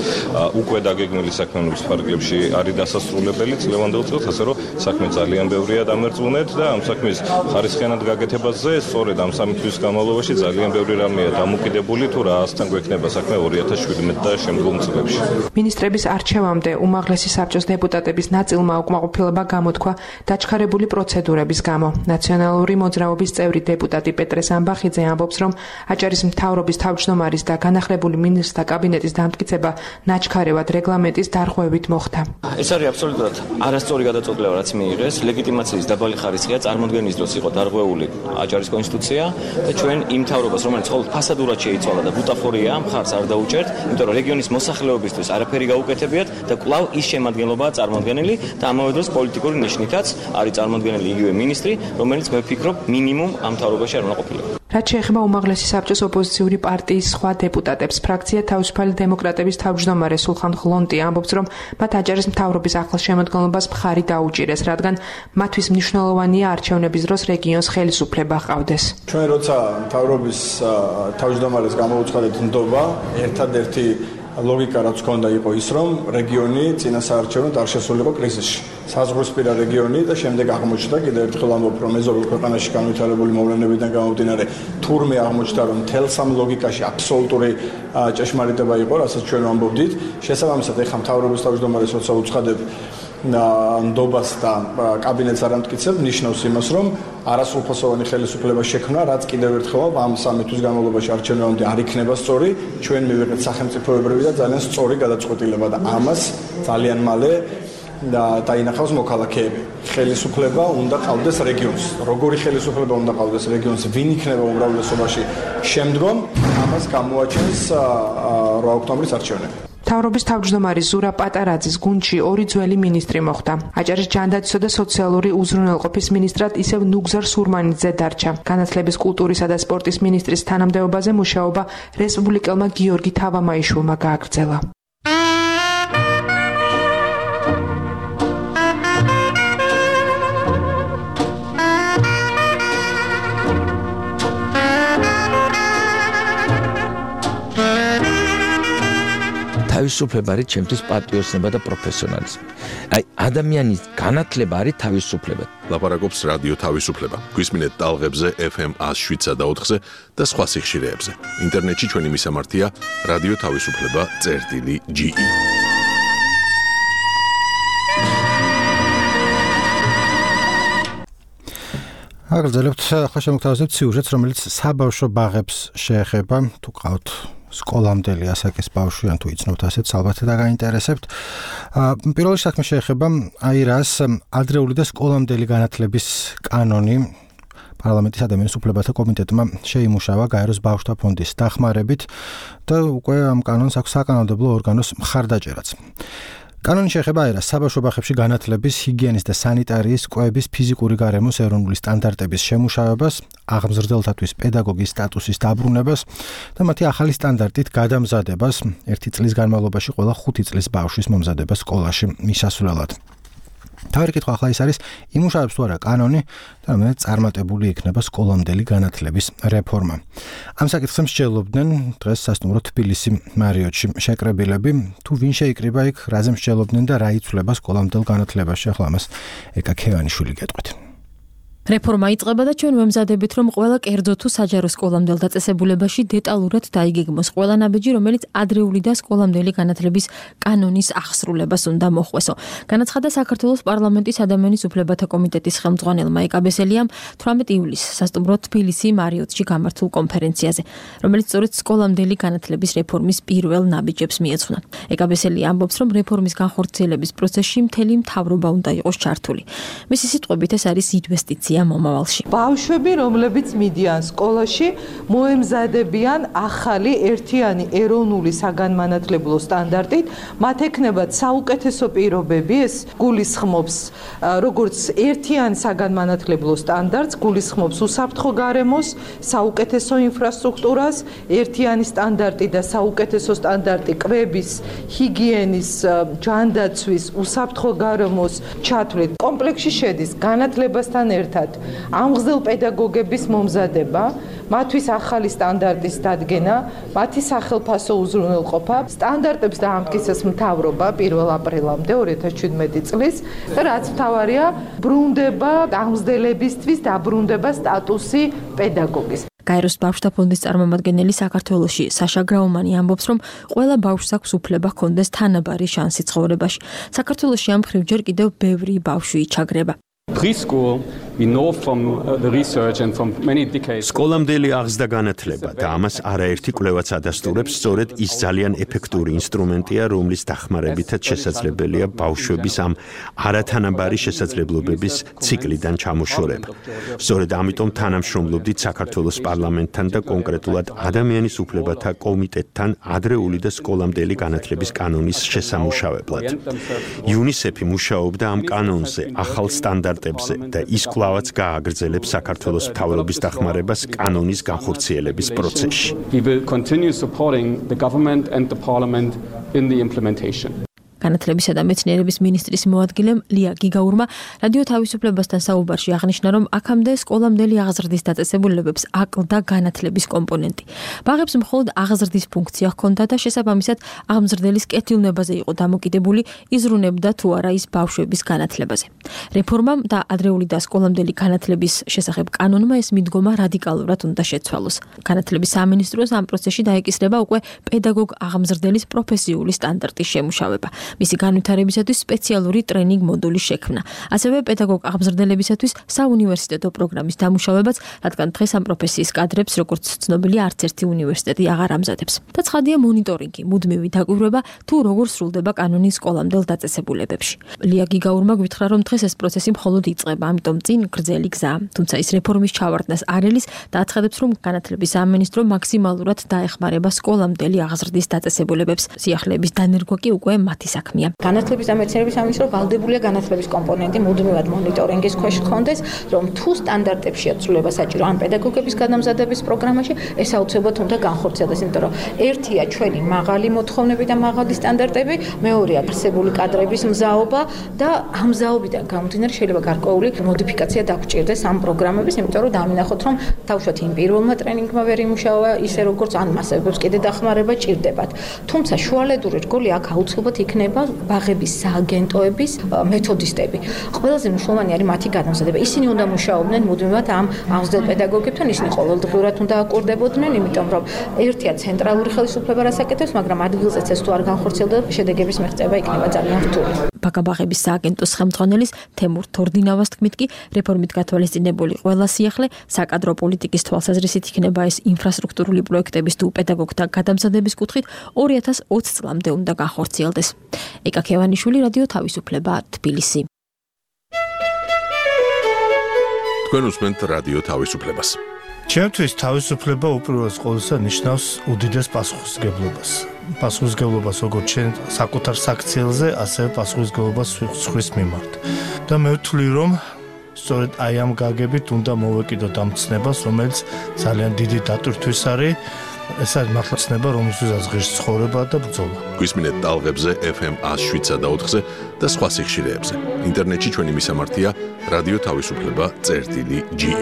უკვე დაგეგმილი საქმიანობის ფარგლებში არის დასასრულებელი წლევანდელ წელს, ასე რომ საქმე ძალიან ბევრია დამერწმუნეთ და ამ საქმის ხარისხიანად გაკეთებაზე სწორედ ამ 3 თვის განმავლობაში ძალიან ბევრი რამეა დამოკიდებული, თუ რაასთან გვექნება საქმე 2017 და შემდგომ წლებში. მინისტრების არჩევამდე უმაღლესი საბჭოს დეპუტატების ნაწილმა უკმაყოფილება გამოთქვა დაჩქარებული პროცედურების გამო. ნაციონალური მოძრაობის წევრი დეპუტატი პეტრე სამბახიძე ამბობს, რომ აჭარის მთავრობის თავმჯდომარის და განახლებული მინისტრთა კაბინეტის დამტკიცება ნაჩქარევად რეგლამენტის დარღვევით მოხდა. ეს არის აბსოლუტურად არასწორი გადაწყვეტილება, რაც მიიღეს. ლეგიტიმაციის დაბალი ხარისხია წარმოქმნის დროს იყო დარღვეული აჭარის კონსტიტუცია და ჩვენ იმ მთავრობას, რომელიც მხოლოდ ფასადურად შეიცვალა და ბუტაფორია, მხარს არ დაუჭერთ, იმიტომ რომ რეგიონის მოსახლეობისთვის არაფერი გაუკეთებიათ და კვლავ ის შემადგენლობაა წარმოქმნილი და ამავე დროს პოლიტიკური ნიშნითაც არის წარმოქმნილი იგივე მინისტრი, რომელიც მე ვფიქრობ მინიმუმ ამ მთავრობაში არ უნდა ყოფილიყო. რაც შეეხება უმაღლესი საბჭოს ოპოზიციური პარტიის სხვა დეპუტატებს, ფრაქცია თავისუფალი დემოკრატების თავმჯდომარე სულხან ღლონტი ამბობს, რომ მათ აჭარის მთავრობის ახლოს შემოდგენლობას მხარი დაუჭირეს, რადგან მათთვის მნიშვნელოვანია არჩევნების დროს რეგიონს ხელისუფლება ჰყავდეს. ჩვენ როცა მთავრობის თავმჯდომარეს გამოუცხადეთ ნდობა, ერთადერთი ლოგიკა რაც ქონდა იყო ის, რომ რეგიონი წინასაარჩევნო არ შესულიყო კრიზისში. საზღვრისპირა რეგიონი და შემდეგ აღმოჩნდა კიდევ ერთხელ ამბობ, რომ მეზობელ ქვეყანაში განვითარებული მოვლენებიდან გამომდინარე თურმე აღმოჩნდა, რომ თელს ამ ლოგიკაში აბსოლუტური ჭეშმარიტება იყო, რასაც ჩვენ ვამბობდით. შესაბამისად, ეხლა მთავრობის თავმჯდომარეს როცა უცხადებ ნდობას და კაბინეტს არ ამტკიცებ, ნიშნავს იმას, რომ არასრულფასოვანი ხელისუფლება შექმნა, რაც კიდევ ერთხელ ამ 3 თვის განმავლობაში არჩევნებამდე არ იქნება სწორი, ჩვენ მივიღეთ სახელმწიფოებრივი და ძალიან სწორი გადაწყვეტილება და ამას ძალიან მალე დაინახავს მოქალაქეები. ხელისუფლება უნდა ყავდეს რეგიონს. როგორი ხელისუფლება უნდა ყავდეს რეგიონს, ვინ იქნება უმრავლესობაში შემდგომ, ამას გამოაჩენს 8 ოქტომბრის არჩევნები. მთავრობის თავმჯდომარე ზურაბ პატარაძის გუნდში 2 ძველი მინისტრი მოხვდა. აჭარის ჯანდაცვისა და სოციალური უზრუნველყოფის მინისტრად ისევ ნუგზარ სურმანიძე დარჩა. განათლების, კულტურისა და სპორტის მინისტრის თანამდებობაზე მუშაობა რესპუბლიკელმა გიორგი თავამაიშვილმა გააგრძელა. თავისუფლება არის ჩემთვის პატრიოტიზმი და პროფესიონალიზმი. აი ადამიანის განათლება არის თავისუფლება. ლაპარაკობს რადიო თავისუფლება. გვისმინეთ ტალღებზე FM 107 და 4-ზე და სხვა სიხშირეებზე. ინტერნეტში ჩვენი მისამართია რადიო თავისუფლება.ge. აგრძელებთ ახლა შემოგთავაზებთ სიუჟეტს, რომელიც საბავშვო ბაღებს შეეხება. თუ ყავთ სკოლამდელი ასაკის ბავშვი, ან თუ იცნობთ ასეთს, ალბათ დაგაინტერესებთ. პირველი საქმე შეეხება აირას ადრეული და სკოლამდელი განათლების კანონი. პარლამენტის ადამიანის უფლებათა კომიტეტმა შეიმუშავა გაეროს ბავშვთა ფონდის დახმარებით და უკვე ამ კანონს აქვს საკანონმდებლო ორგანოს მხარდაჭერაც. კანონი შეეხება აირას საბავშვო ბაღებში განათლების, ჰიგიენის და სანიტარიის, კვების, ფიზიკური გარემოს ეროვნული სტანდარტების შემუშავებას, აღმზრდელთათვის პედაგოგის სტატუსის დაბრუნებას და მათი ახალი სტანდარტით გადამზადებას 1 წლის განმავლობაში ყველა 5 წლის ბავშვის მომზადებას სკოლაში მისასვლელად. თავი კითხვა ახლა ის არის, იმუშავებს თუ არა კანონი და რამდენად წარმატებული იქნება სკოლამდელი განათლების რეფორმა. ამ საკითხს მსჯელობდნენ დღეს სასტუმრო თბილისი მარიოტში შეკრებილები, თუ ვინ შეიკრიბა იქ, რაზე მსჯელობდნენ და რა იცვლება სკოლამდელ განათლებაში. ახლა ამას ეკა ქევანიშვილი გეტყვით. რეფორმა იწყება და ჩვენ ვემზადებით, რომ ყველა კერძო თუ საჯარო სკოლამდელ დაწესებულებაში დეტალურად დაიგეგმოს ყველა ნაბიჯი, რომელიც ადრეული და სკოლამდელი განათლების კანონის აღსრულებას უნდა მოხვესო. განაცხადა საქართველოს პარლამენტის ადამიანის უფლებათა კომიტეტის ხელმძღვანელმა ეკაბესელიამ 18 ივლისს სასტუმრო თბილისი მარიოტში გამართულ კონფერენციაზე, რომელიც სწორედ სკოლამდელი განათლების რეფორმის პირველ ნაბიჯებს მიეძღვნა. ეკაბესელი ამბობს, რომ რეფორმის განხორციელების პროცესში მთელი მთავრობა უნდა იყოს ჩართული. მისი სიტყვებით, ეს არის ინვესტიცია მომავალში. ბავშვები, რომლებიც მიდიან სკოლაში, მოემზადებიან ახალი ერთიანი ეროვნული საგანმანათლებლო სტანდარტით, მათ ექნებათ საუკეთესო პირობები, ეს გულისხმობს როგორც ერთიან საგანმანათლებლო სტანდარტს, გულისხმობს უსაფრთხო გარემოს, საუკეთესო ინფრასტრუქტურას, ერთიანი სტანდარტი და საუკეთესო სტანდარტი კვების, ჰიგიენის, ჯანდაცვის, უსაფრთხო გარემოს ჩათვლით. კომპლექსში შედის განათლებასთან ერთად ამღზელ პედაგოგების მომზადება, მათთვის ახალი სტანდარტის დადგენა, მათი სახელფასო უზრუნველყოფა, სტანდარტებს დაამტკიცეს მთავრობა 1 აპრილამდე 2017 წლის და რაც მთავარია, ბრუნდება ამღზელებისთვის დაბრუნდება სტატუსი პედაგოგის. გაეროს ბავშვთა ფონდის წარმომადგენელი საქართველოში საშა გრაუმანი ამბობს, რომ ყველა ბავშვს აქვს უფლება ჰქონდეს თანაბარი შანსი ცხოვრებაში. საქართველოში ამ მხრივ ჯერ კიდევ ბევრი ბავშვი იჩაგრება. Preschool, we know from the research and from many decades. სკოლამდელი აღზრდა განათლება და ამას არაერთი კვლევაც ადასტურებს, სწორედ ის ძალიან ეფექტური ინსტრუმენტია, რომლის დახმარებითაც შესაძლებელია ბავშვების ამ არათანაბარი შესაძლებლობების ციკლიდან ჩამოშორება. სწორედ ამიტომ თანამშრომლობდით საქართველოს პარლამენტთან და კონკრეტულად ადამიანის უფლებათა კომიტეტთან ადრეული და სკოლამდელი განათლების კანონის შესამუშავებლად. UNICEF-ი მუშაობდა ამ კანონზე, ახალ სტანდარტებზე და ის კვლავაც გააგრძელებს საქართველოს მთავრობის დახმარებას კანონის განხორციელების პროცესში. We will continue supporting the government and the parliament in the implementation. განათლებისა და მეცნიერების მინისტრის მოადგილემ ლია გიგაურმა რადიო თავისუფლებასთან საუბარში აღნიშნა, რომ აქამდე სკოლამდელი აღზრდის დაწესებულებებს აკლდა განათლების კომპონენტი. ბაღებს მხოლოდ აღზრდის ფუნქცია ჰქონდა და შესაბამისად აღმზრდელის კეთილნებაზე იყო დამოკიდებული, იზრუნებდა თუ არა ის ბავშვების განათლებაზე. რეფორმამ და ადრეული და სკოლამდელი განათლების შესახებ კანონმა ეს მიდგომა რადიკალურად უნდა შეცვალოს. განათლების სამინისტროს ამ პროცესში დაეკისრება უკვე პედაგოგ აღმზრდელის პროფესიული სტანდარტის შემუშავება. მისი განვითარებისათვის სპეციალური ტრენინგ მოდულის შექმნა. ასევე პედაგოგ აღმზრდელებისათვის საუნივერსიტეტო პროგრამის დამუშავებაც, რადგან დღეს ამ პროფესიის კადრებს, როგორც ცნობილია, არც ერთი უნივერსიტეტი აღარ ამზადებს. და ცხადია მონიტორინგი, მუდმივი დაკვირვება თუ როგორ სრულდება კანონის სკოლამდელ დაწესებულებებში. ლია გიგაურმა გვითხრა, რომ დღეს ეს პროცესი მხოლოდ იწყება, ამიტომ წინ გრძელი გზაა. თუმცა ის რეფორმის ჩავარდნას არ ელის და აცხადებს, რომ განათლების სამინისტრო მაქსიმალურად დაეხმარება სკოლამდელი აღზრდის დაწესებულებებს. სიახლეების დანერგვა კი უკვე მათი საქმეა. განათლების და მეცნიერების სამინისტრო ვალდებულია განათლების კომპონენტი მუდმივად მონიტორინგის ქვეშ ჰქონდეს, რომ თუ სტანდარტებში აცვლება საჭირო ან პედაგოგების გადამზადების პროგრამაში, ეს აუცილებლად უნდა განხორციელდეს, იმიტომ რომ ერთია ჩვენი მაღალი მოთხოვნები და მაღალი სტანდარტები, მეორეა არსებული კადრების მზაობა და ამ მზაობიდან გამომდინარე შეიძლება გარკვეული მოდიფიკაცია დაგჭირდეს ამ პროგრამების, იმიტომ რომ დამინახოთ, რომ თავშოთ იმ პირველმა ტრენინგმა ვერ იმუშავა ისე როგორც ან მასებებს კიდე დახმარება ჭირდებათ. თუმცა შუალედური რგოლი აქ აუცილებლად იქნება ბაღების სააგენტოების მეთოდისტები. ყველაზე მნიშვნელოვანი არის მათი გადამზადება. ისინი უნდა მუშაობდნენ მუდმივად ამ აღზრდილ პედაგოგებთან, ისინი ყოველდღიურად უნდა აკურდებოდნენ, იმიტომ რომ ერთია ცენტრალური ხელისუფლება რას აკეთებს, მაგრამ ადგილზეც ეს თუ არ განხორციელდება, შედეგების მიღწევა იქნება ძალიან რთული. ბაღების სააგენტოს ხელმძღვანელის თემურ თორდინავას თქმით კი, რეფორმით გათვალისწინებული ყველა სიახლე საკადრო პოლიტიკის თვალსაზრისით იქნება ეს ინფრასტრუქტურული პროექტების თუ პედაგოგთა გადამზადების კუთხით 2020 წლამდე უნდა განხორციელდეს. ეკა ქევანიშვილი, რადიო თავისუფლება, თბილისი. თქვენ უსმენთ რადიო თავისუფლებას. ჩემთვის თავისუფლება უპირველეს ყოვლისა ნიშნავს უდიდეს პასუხისმგებლობას. პასუხისმგებლობას როგორც ჩვენ საკუთარ საქციელზე, ასევე პასუხისმგებლობას სხვის მიმართ. და მე ვთვლი, რომ სწორედ აი ამ გაგებით უნდა მოვეკიდოთ ამ ცნებას, რომელიც ძალიან დიდი დატვირთვის არის. ეს არის მართლა ცნება, რომელსაც ღირს ცხოვრება და ბრძოლა. გვისმინეთ ტალღებზე FM 107.4-ზე და სხვა სიხშირეებზე. ინტერნეტში ჩვენი მისამართია რადიო თავისუფლება.ge.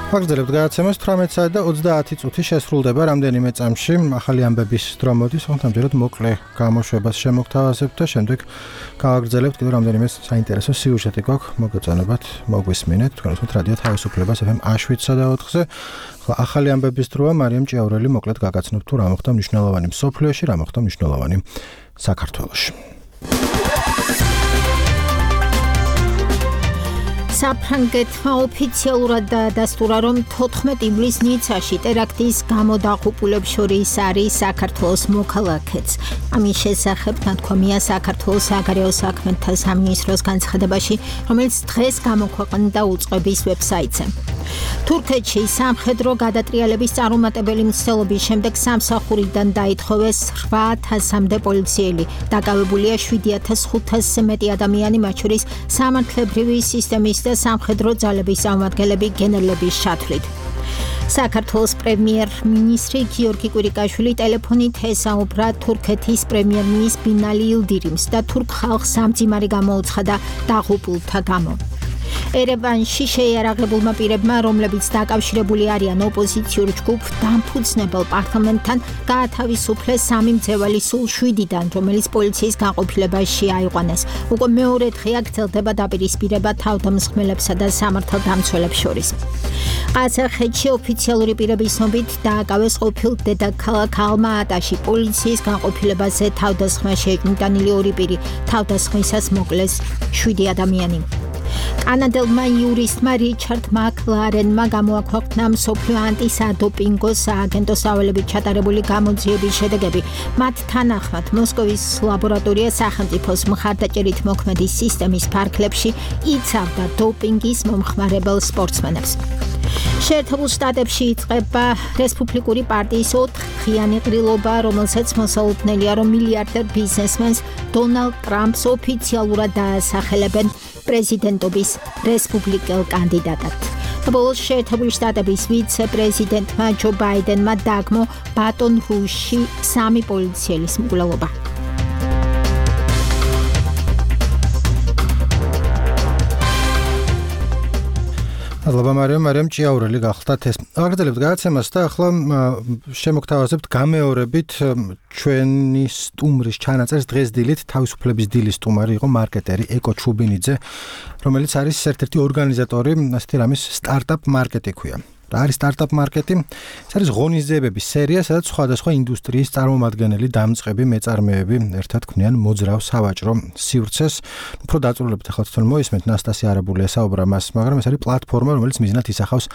ვაგრძელებთ გადაცემას 18 და 30 წუთი შესრულდება რამდენიმე წამში ახალი ამბების დრო მოდის, თუმცა ამჯერად მოკლე გამოშვებას შემოგთავაზებთ და შემდეგ გავაგრძელებთ კიდევ რამდენიმე საინტერესო სიუჟეტი გვაქვს მოგეწონებათ, მოგვისმინეთ თქვენ უსმენთ რადიო თავისუფლებას FM 7-სა და 4-ზე. ახალი ამბების დროა მარიამ ჭიაურელი მოკლედ გაგაცნობთ თუ რა მოხდა მნიშვნელოვანი მსოფლიოში, რა მოხდა მნიშვნელოვანი საქართველოში. საფრანგეთმა ოფიციალურად დაადასტურა, რომ 14 ივლისს ნიცაში ტერაქტის გამო დაღუპულებს შორის არის საქართველოს მოქალაქეც. ამის შესახებ ნათქვამია საქართველოს საგარეო საქმეთა სამინისტროს განცხადებაში, რომელიც დღეს გამოქვეყნდა უწყების ვებსაიტზე. თურქეთში სამხედრო გადატრიალების წარუმატებელი მცდელობის შემდეგ სამსახურიდან დაითხოვეს 8,000-მდე პოლიციელი. დაკავებულია 7,500-ზე მეტი ადამიანი, მათ შორის სამართლებრივი სისტემის და სამხედრო ძალების წარმომადგენლები გენერლების ჩათვლით. საქართველოს პრემიერ-მინისტრი გიორგი კვირიკაშვილი ტელეფონით ესაუბრა თურქეთის პრემიერ-მინისტრ ბინალი ილდირიმს და თურქ ხალხს სამძიმარი გამოუცხადა დაღუპულთა გამო. ერევანში შეიარაღებულმა პირებმა, რომლებიც დაკავშირებული არიან ოპოზიციურ ჯგუფ დამფუძნებელ პარლამენტთან, გაათავისუფლეს 3 მძევალი სულ 7-დან, რომელიც პოლიციის განყოფილებაში აიყვანეს. უკვე მეორე დღეა გრძელდება დაპირისპირება თავდამსხმელებსა და სამართალდამცველებს შორის. ყაზახეთში ოფიციალური პირების ცნობით დააკავეს ყოფილ დედაქალაქ ალმა-ატაში პოლიციის განყოფილებაზე თავდასხმა შეეკნიტანილი 2 პირი, თავდასხმისას მოკლეს 7 ადამიანი. კანადელმა იურისტმა რიჩარდ მაკლარენმა გამოაქვეყნა მსოფლიო ანტისადოპინგო სააგენტოს სავალებით ჩატარებული გამოძიების შედეგები. მათ თანახმად მოსკოვის ლაბორატორია სახელმწიფოს მხარდაჭერით მოქმედი სისტემის ფარგლებში იცავდა დოპინგის მომხმარებელ სპორტსმენებს. შეერთებულ შტატებში იწყება რესპუბლიკური პარტიის 4-დღიანი ყრილობა, რომელსაც მოსალოდნელია, რომ მილიარდერ ბიზნესმენს დონალდ ტრამპს ოფიციალურად დაასახელებენ პრეზიდენტობის რესპუბლიკელ კანდიდატად. ბოლოს შეერთებული შტატების ვიცე-პრეზიდენტმა ჯო ბაიდენმა დაგმო ბატონ რუშში 3 პოლიციელის მკვლელობა. ალბათ მარიამ ჭიაურელი გახლდათ ეს. აგრძელებთ გადაცემას და ახლა შემოგთავაზებთ გამეორებით ჩვენი სტუმრის ჩანაწერს დღეს დილით თავისუფლების დილის სტუმარი იყო მარკეტერი ეკო ჩუბინიძე, რომელიც არის ერთ-ერთი ორგანიზატორი ასეთი რამის სტარტაპ მარკეტი ქვია. რა არის სტარტაპ მარკეტი? ეს არის ღონისძიებების სერია, სადაც სხვადასხვა ინდუსტრიის წარმომადგენელი დამწყები მეწარმეები ერთად ქმნიან მოძრავ სავაჭრო სივრცეს. უფრო დაწვრილებთ ახლა თვითონ მოისმენთ ნასტასია არაბული ესაუბრა მას, მაგრამ ეს არის პლატფორმა, რომელიც მიზნად ისახავს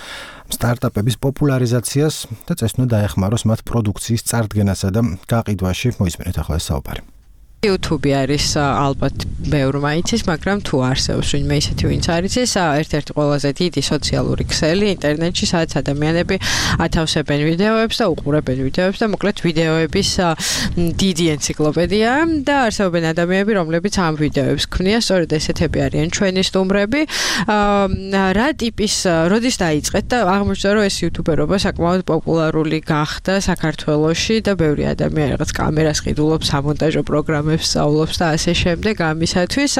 სტარტაპების პოპულარიზაციას და წესით უნდა დაეხმაროს მათ პროდუქციის წარდგენასა და გაყიდვაში. მოისმენთ ახლა ეს საუბარი. YouTube არის ალბათ ბევრმა იცის, მაგრამ თუ არსებობს ვინმე ისეთი ვინც არ იცის, ერთ-ერთი ყველაზე დიდი სოციალური ქსელი ინტერნეტში, სადაც ადამიანები ათავსებენ ვიდეოებს და უყურებენ ვიდეოებს და მოკლედ ვიდეოების დიდი ენციკლოპედია და არსებობენ ადამიანები, რომლებიც ამ ვიდეოებს ქმნიან, სწორედ ესეთები არიან ჩვენი სტუმრები. რა ტიპის, როდის დაიწყეთ და აღმოჩნდა, რომ ეს იუთუბერობა საკმაოდ პოპულარული გახდა საქართველოში და ბევრი ადამიანი რაღაც კამერას ყიდულობს, სამონტაჟო პროგრამებს სწავლობს და ასე შემდეგ ამისათვის.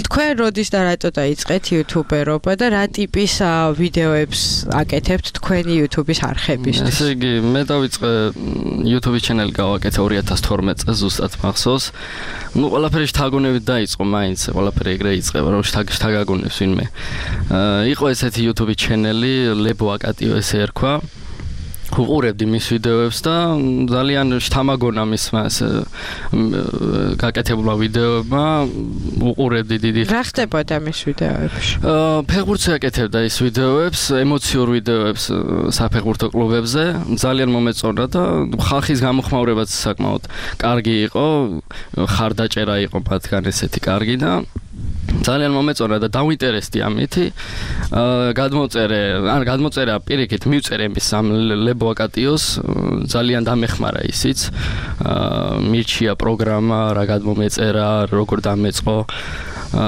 თქვენ როდის და რატო დაიწყეთ იუთუბერობა და რა ტიპის ვიდეოებს აკეთებთ თქვენი YouTube-ის არხებისთვის? ესე იგი, მე დავიწყე YouTube-ის ჩანელი გავაკეთე 2012 წელს ზუსტად მახსოვს. ნუ ყველაფერი შთაგონებით დაიწყო, მაინც ყველაფერი ეგრე იწყება, რომ შთაგაგონებს ვინმე. იყო ესეთი YouTube-ის ჩანელი, ლებო აკატიო ესე ერქვა. უყურებდი მის ვიდეოებს და ძალიან შთამაგონა მისმა გაკეთებულა ვიდეოებმა, უყურებდი დიდი. რა ხდებოდა მის ვიდეოებში? ფეხბურთს აკეთებდა ის ვიდეოებს, ემოციურ ვიდეოებს საფეხბურთო კლუბებზე, ძალიან მომეწონა და ხალხის გამოხმაურებაც საკმაოდ კარგი იყო, ხარდაჭერა იყო მათგან ესეთი კარგი და ძალიან მომეწონა და დავინტერესდი ამითი. გადმოწერა პირიქით მივწერე მის ამ ლებო აკატიოს, ძალიან დამეხმარა ისიც. მირჩია პროგრამა, რა გადმომეწერა, როგორ დამეწყო.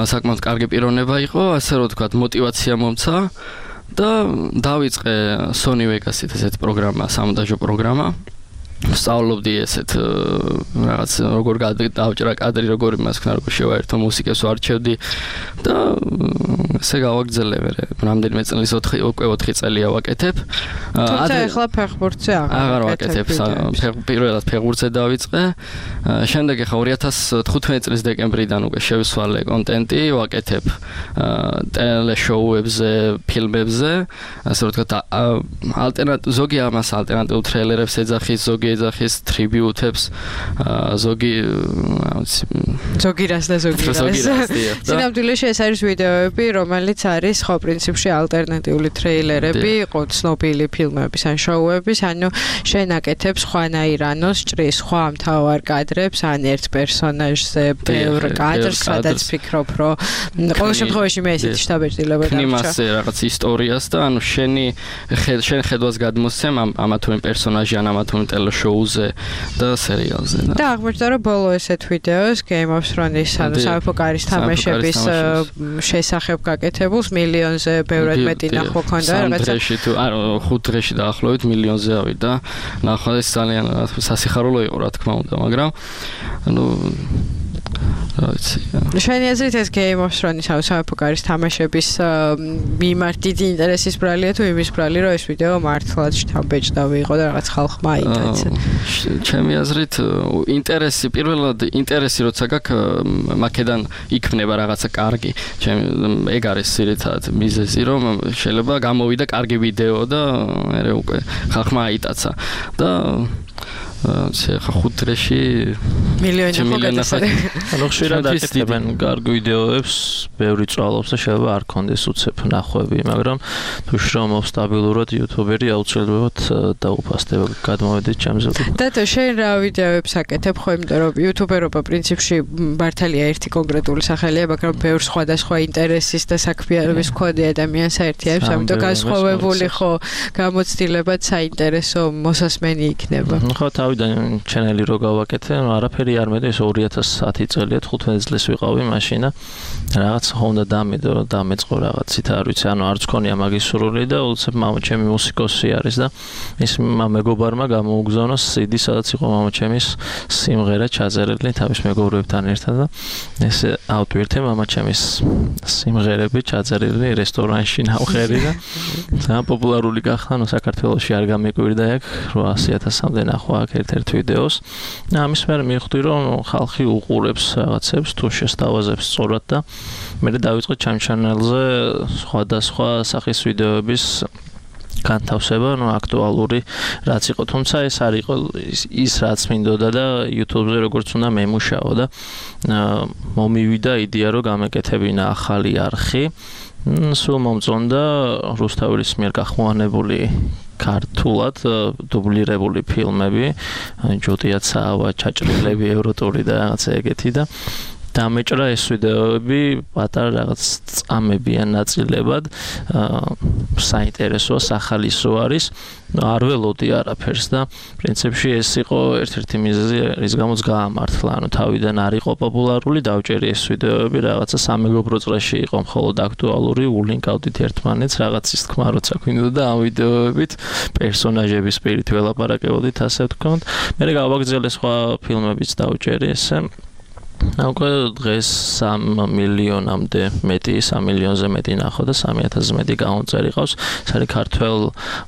საკმაოდ კარგი პიროვნება იყო, ასე რომ თქვა, мотиваცია მომცა და დავიწყე Sony Vegas-ით ესეთი პროგრამა, სამონტაჟო პროგრამა. სწავლობდი ესეთ რაღაც როგორ დავჭრა კადრი, როგორ იმას ქნა, როგორ შევაერთო მუსიკას ვარჩევდი და ესე გავაგრძელებ, რამდენიმე წელს 4 წელია ვაკეთებ. თუმცა ახლა ფეხბურთზე აღარ ვაკეთებ, პირველად ფეხბურთზე დავიწყე. შემდეგ ახლა 2015 წლის დეკემბრიდან უკვე შევსვალე კონტენტი, ვაკეთებ ტელეშოუებზე, ფილმებზე, ასე რომ ვთქვათ, ზოგი ამას ალტერნატიულ ტრეილერებს ეძახის, ზოგი ეძახის ტრიბიუტებს, ზოგი რას და ზოგი რას. სინამდვილეში ეს არის ვიდეოები, რომელიც არის ხო პრინციპში ალტერნატიული ტრეილერები, იყო ცნობილი ფილმების ან შოუების, ანუ შენ აკეთებ სხვანაირ ანოს, ჭრის სხვა მთავარ კადრებს, ან ერთ პერსონაჟზე ბევრ კადრს, სადაც ფიქრობ, რომ ყოველ შემთხვევაში მე ესეთი შთაბეჭდილება დავჭა. იმასე რაღაც ისტორიას და ანუ შენ ხედვას გადმოსცემ ამა თუ იმ პერსონაჟი ან ამა თუ იმ ტელეშოუზე და სერიალზე. და აღმოჩნდა, რომ ბოლო ესეთ ვიდეოს Game of Thrones-ის ანუ სამეფო კარის თამაშების შესახებ გაკეთებულს მილიონზე ბევრად მეტი ნახვა ჰქონდა რაღაცა. 5 დღეში დაახლოებით მილიონზე ავიდა. ნახვა ეს ძალიან სასიხარულო იყო რა თქმა უნდა, მაგრამ ანუ შენი აზრით ეს Game of Thrones-ის სამეფო კარის თამაშების მიმართ დიდი ინტერესის ბრალია თუ იმის ბრალი, რომ ეს ვიდეო მართლაც შთამბეჭდავი იყო და რაღაც ხალხმა აიტაცა. ჩემი აზრით ინტერესი პირველად ინტერესი როცა გაქვს მაკედან იქმნება რაღაცა კარგი. ეგ არის ძირითადად მიზეზი, რომ შეიძლება გამოვიდა კარგი ვიდეო და მე უკვე ხალხმა აიტაცა და ხა 5 დღეში მილიონი ანუ ხშირად აკეთებენ კარგ ვიდეოებს, ბევრი წვალობს და შეიძლება არ კონდეს უცებ ნახვები, მაგრამ თუ შრომობ სტაბილურად YouTube-ერი აუცილებლად დაუფასდება გადმოვედით ჩემზე. და შენ რა ვიდეოებს აკეთებ, ხო იმიტომ რომ YouTube-ერობა პრინციპში მართალია ერთი კონკრეტული სახელია, მაგრამ ბევრ სხვადასხვა ინტერესის და საქმიანობის მქონე ადამიანს აერთიანებს, ამიტომ განსხვავებული ხო გამოცდილებად საინტერესო მოსასმენი იქნება. ხო თავიდან ჩანელი რო გავაკეთე, არაფერი არ მედის 2010 წელია 15 წელს ვიყავი მაშინ და რაღაც ხონდა დამეწყო რაღაცით არ ვიცი, ანუ არც ქონია მაგის სურვილი და უცებ მამაჩემი მუსიკოსი არის და ის მეგობარმა გამოუგზავნა CD, სადაც იყო მამაჩემის სიმღერა ჩაწერილი თავის მეგობრებთან ერთად და ეს ავტვირთე მამაჩემის სიმღერები ჩაწერილი რესტორანში ნავხერი და ძალიან პოპულარული გახდა, ნუ საქართველოში არ გამეკვირდა ეგ 800,000-მდე ნახვა აქ ერთ ვიდეოს. ამის მერე მივხვდი, რომ ხალხი უყურებს რაღაცებს, თუ შესთავაზებს სწორად და მე დავიწყე ჩემ ჩანელზე სხვადასხვა სახის ვიდეოების განთავსება, ნუ აქტუალური რაც იყო, თუმცა ეს არ იყო ის რაც მინდოდა და YouTube-ზე როგორც უნდა მემუშაო და მომივიდა იდეა, რომ გამეკეთებინა ახალი არხი. სულ მომწონდა რუსთაველის მიერ გახმოვანებული ქართულად დუბლირებული ფილმები, ჯოტია ცავა, ჩაჭრილები, ევროტური და რაღაცა ეგეთი და დამეჭრა ეს ვიდეოები პატარა რაღაც წამებიან ნაწილებად, საინტერესოა, სახალისო არის, არ ველოდი არაფერს და პრინციპში ეს იყო ერთ-ერთი მიზეზი, რის გამოც გაამართლა, ანუ თავიდან არ იყო პოპულარული, დავჭერი ეს ვიდეოები, რაღაცა სამეგობრო წრეში იყო მხოლოდ აქტუალური, ულინკავდით ერთმანეთს, რაღაცის თქმა როცა გვინდოდა ამ ვიდეოებით, პერსონაჟების პირით ველაპარაკებოდით, ასე ვთქვათ. მე გავაგრძელე სხვა ფილმებიც დავჭერი ესე. უკვე დღეს 3 მილიონამდე მეტი, 3 მილიონზე მეტი ნახო და 3,000-ზე მეტი გამომწერი ყავს. ეს არის ქართველ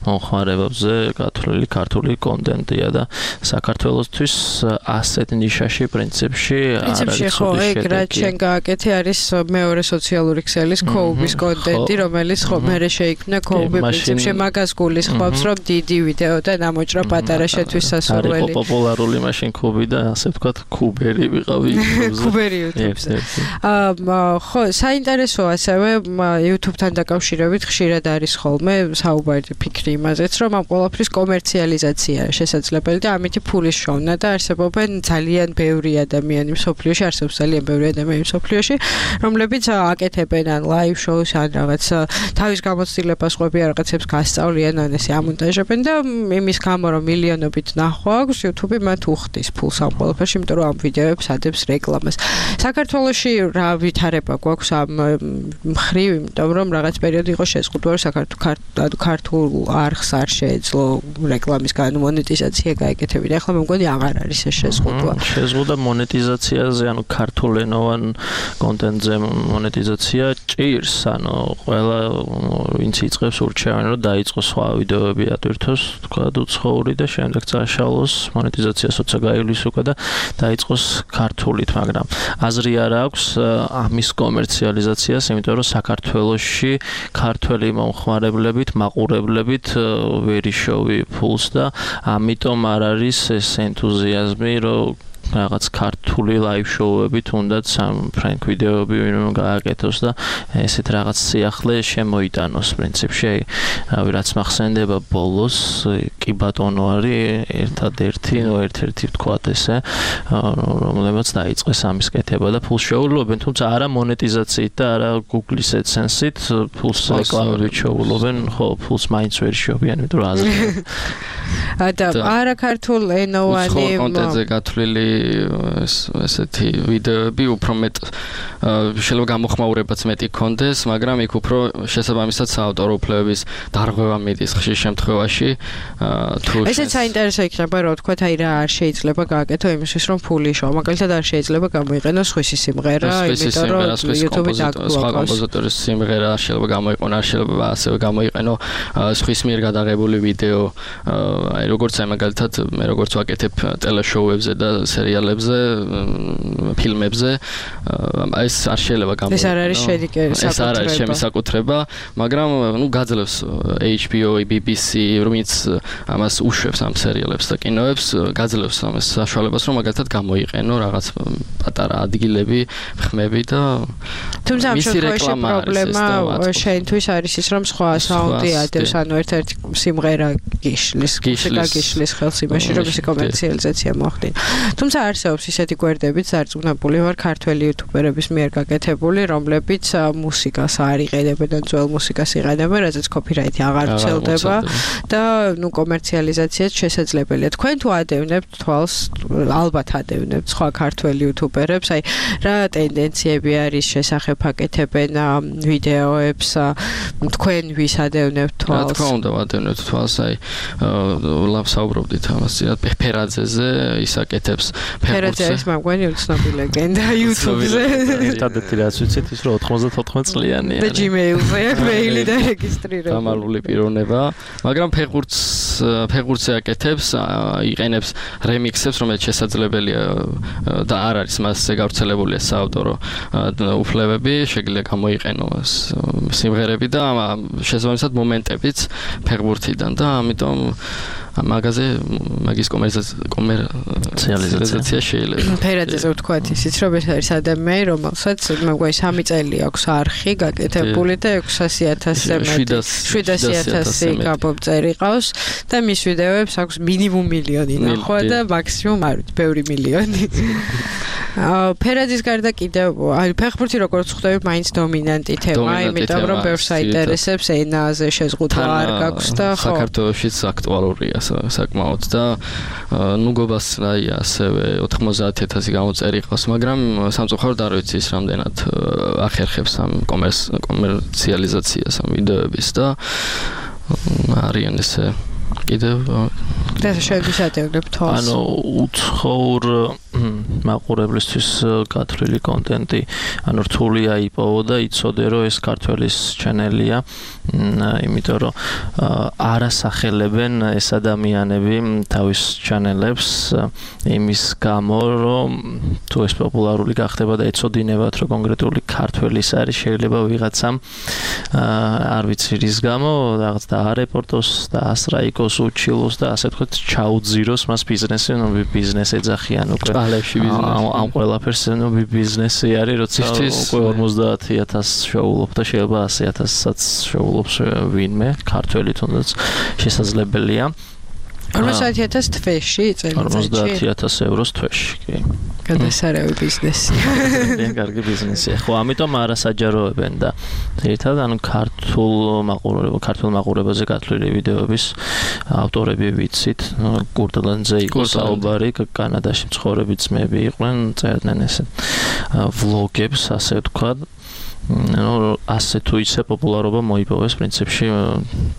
მომხმარებელზე გათვლილი ქართული კონტენტია და საქართველოსთვის ასეთ ნიშაში პრინციპში არ არის ხო, ეგ რაც შენ გააკეთე არის მეორე სოციალური ქსელის ქოუბის კონტენტი, რომელიც ხო მერე შეიქმნა ქოუბი პრინციპში მაგას გულისხმობს, რომ დიდი ვიდეო და ნამოჭრა პატარა შეთვის სასურველი. არის პოპულარული მაშინ ქუბი და ასე ვთქვათ ქუბერი ვიყავი. ქუბერი YouTube-ზე. ხო, საინტერესოა ასევე YouTube-თან დაკავშირებით ხშირად არის ხოლმე საუბარი ფიქრი იმაზეც, რომ ამ ყველაფრის კომერციალიზაცია შესაძლებელი და ამით ფულის შოვნა და არსებობენ ძალიან ბევრი ადამიანი მსოფლიოში, არსებობს ძალიან ბევრი ადამიანი მსოფლიოში, რომლებიც აკეთებენ ან live shows ან რაღაც თავის გამოცდილებას ყვები რაღაცებს გასწავლიან ან ესე ამონტაჟებენ და იმის გამო რომ მილიონობით ნახვა აქვს YouTube-ი მათ უხდის ფულს ამ ყველაფერში, იმიტომ რომ ამ ვიდეოებს ადებს რეკლამას. საქართველოში რა ვითარება გვაქვს ამ მხრივ, იმიტომ რომ რაღაც პერიოდი იყო შეზღუდვა, რომ ქართულ არხს არ შეეძლო რეკლამის მონეტიზაცია გაეკეთებინა. ახლა მე მგონი აღარ არის ეს შეზღუდვა. შეზღუდვა მონეტიზაციაზე, ანუ ქართულენოვან კონტენტზე მონეტიზაცია ჭირს, ანუ ყველა ვინც იწყებს ურჩევენ, რომ დაიწყოს სხვა ვიდეოები ატვირთოს, თქვა უცხოური და შემდეგ წაშალოს მონეტიზაციას როცა გაივლის უკვე და დაიწყოს ქართულით, მაგრამ აზრი არ აქვს ამის კომერციალიზაციას, იმიტომ რომ საქართველოში ქართველი მომხმარებლებით, მაყურებლებით ვერ იშოვი ფულს და ამიტომ არ არის ეს ენთუზიაზმი, რომ რაღაც ქართული ლაივ შოუები თუნდაც ამ ფრენკ ვიდეოები ვინმე გააკეთოს და ესეთ რაღაც სიახლე შემოიტანოს პრინციპში. რავი, რაც მახსენდება ბოლოს, კი ბატონო არის ერთადერთი, ერთ-ერთი ვთქვათ ესე, რომელმაც დაიწყეს ამის კეთება და ფულს შეუვლობენ, თუმცა არა მონეტიზაციით და არა Google-ის AdSense-ით, ფულს რეკლამებით შეუვლობენ, ხო, ფულს მაინც ვერ შევიან, იმიტომ რომ აზრი. და არა ქართულ ენოვანი კონტენტზე გათვლილი ესეთი ვიდეოები უფრო მეტ შეიძლება გამოხმაურებაც მეტი კონდეს, მაგრამ იქ უფრო შესაბამისად საავტორო უფლებების დარღვევა მიდის ხშირ შემთხვევაში. ესეც საინტერესო იქნება, რომ თქვათ, აი რა არ შეიძლება გააკეთო იმისთვის, რომ ფული შევა. მაგალითად არ შეიძლება გამოიყენოს სხვისი სიმღერა, იმიტომ რომ YouTube-ით აკუა. სხვა კომპოზიტორის სიმღერა შეიძლება გამოიყენო, არ შეიძლება ასევე გამოიყენო სხვის მიერ გადაღებული ვიდეო. აი როგორც აი მაგალითად მე როგორც ვაკეთებ ტელეშოუებზე და სერიალებზე, ფილმებზე, ეს არ შეიძლება გამოიყენო. ეს არ არის ეს არ არის ჩემი საკუთრება, მაგრამ ნუ გაძლევს HBO, BBC, რომიც ამას უშვებს ამ სერიალებს და კინოებს, გაძლევს ამას საშუალებას, რომ მაგალითად გამოიყენო რაღაც პატარა ადგილები, ხმები და თუმცა ამ შემთხვევაში პრობლემა შენთვის არის ის, რომ სხვა საუნდი ადევს, ანუ ერთ-ერთი სიმღერა გიშლის ხელს იმაში, რომ ეს კომერციალიზაცია მოხდინა. თუმცა არსებობს ისეთი გვერდებით, დარწმუნებული ვარ, ქართველი იუთუბერების მიერ გაკეთებული, რომლებიც მუსიკას არ იყენებენ და ძველ მუსიკას იყენებენ, რაზეც კოპირაითი აღარ ვრცელდება და ნუ კომერციალიზაციაც შესაძლებელია. თქვენ თუ ადევნებთ თვალს, ალბათ ადევნებთ სხვა ქართველი იუთუბერებს, აი რა ტენდენციები არის შესახებ აკეთებენ ვიდეოებს, თქვენ ვის ადევნებთ თვალს? რა თქმა უნდა, ადევნებთ თვალს, აი ლავსაუბრობდით ამას, ფერაძეზე ის აკეთებს ფერაძე არის მაგვარი უცნობი ლეგენდა YouTube-ზე. ერთადერთი რაც ვიცით ის რომ 94 წლიანია. და Gmail-ზე აქვს მეილი და რეგისტრირება. გამალული პიროვნება, მაგრამ ფეხბურთზე აკეთებს, იყენებს რემიქსებს, რომელიც შესაძლებელია და არ არის მასზე გავრცელებული საავტორო უფლებები, შეიძლება გამოიყენო სიმღერები და შესაბამისად მომენტებიც ფეხბურთიდან და ამიტომ მაგის კომერციალიზაცია შეიძლება. ფერაძეზე ვთქვათ ისიც, რომ ეს არის ადამიანი, რომელსაც მაგარი 3 წელი აქვს არხი გაკეთებული და 600,000-ზე მეტი 700,000 გამომწერი ყავს და მის ვიდეოებს აქვს მინიმუმ მილიონი ნახვა და მაქსიმუმ არ ვიცი, ბევრი მილიონი. ფერაძის გარდა კიდევ აი ფეხბურთი როგორც ხვდები, მაინც დომინანტი თემა, იმიტომ რომ ბევრს აინტერესებს, ენაზე შეზღუდვა არ გაქვს და ხო. საქართველოშიც აქტუალურია საკმაოდ და ნუგობას აი ასევე 90,000 გამოწერი ყავს, მაგრამ სამწუხაროდ არ ვიცი ის რამდენად ახერხებს ამ კომერციალიზაციას ამ ვიდეოების და არიან ესე კიდევ და შეიძლება ატევლებთ თავს. ანუ უცხოურ მაყურებლისთვის გათვლილი კონტენტი, ანუ რთული აიპოვო და იცოდე რომ ეს ქართველის ჩანელია, იმიტომ რომ არასახელებენ ეს ადამიანები თავის ჩანელებს იმის გამო, რომ თუ ეს პოპულარული გახდება და ეცოდინებათ რომ კონკრეტული ქართველის არის, შეიძლება ვიღაცამ არ ვიცი რის გამო რაღაც და არეპორტოს და ასრაიკოს უჩილოს და ასე ვთქვათ ჩაუძიროს მას ბიზნესი, ნუ ბიზნესი ეძახიან უკვე ამ ყველაფერს, ნუ ბიზნესი არის, როცა უკვე 50,000 შეულობ და შეიძლება 100,000-საც შეულობს ვინმე, ქართველი თუნდაც შესაძლებელია. 50,000 თვეში წელიწადში 50,000 ევროს თვეში, კი. გადასარევი ბიზნესი. ძალიან კარგი ბიზნესია. ხო, ამიტომ არასაჯაროებენ და ერთად ქართულ მაყურებაზე გათვლილი ვიდეოების ავტორები ვიცით. გურდლანძე იყო საუბარი, კანადაში მცხოვრები ძმები იყვნენ, წერდნენ ესე ვლოგებს, ასე ვთქვათ. ასე თუ ისე პოპულარობა მოიპოვეს პრინციპში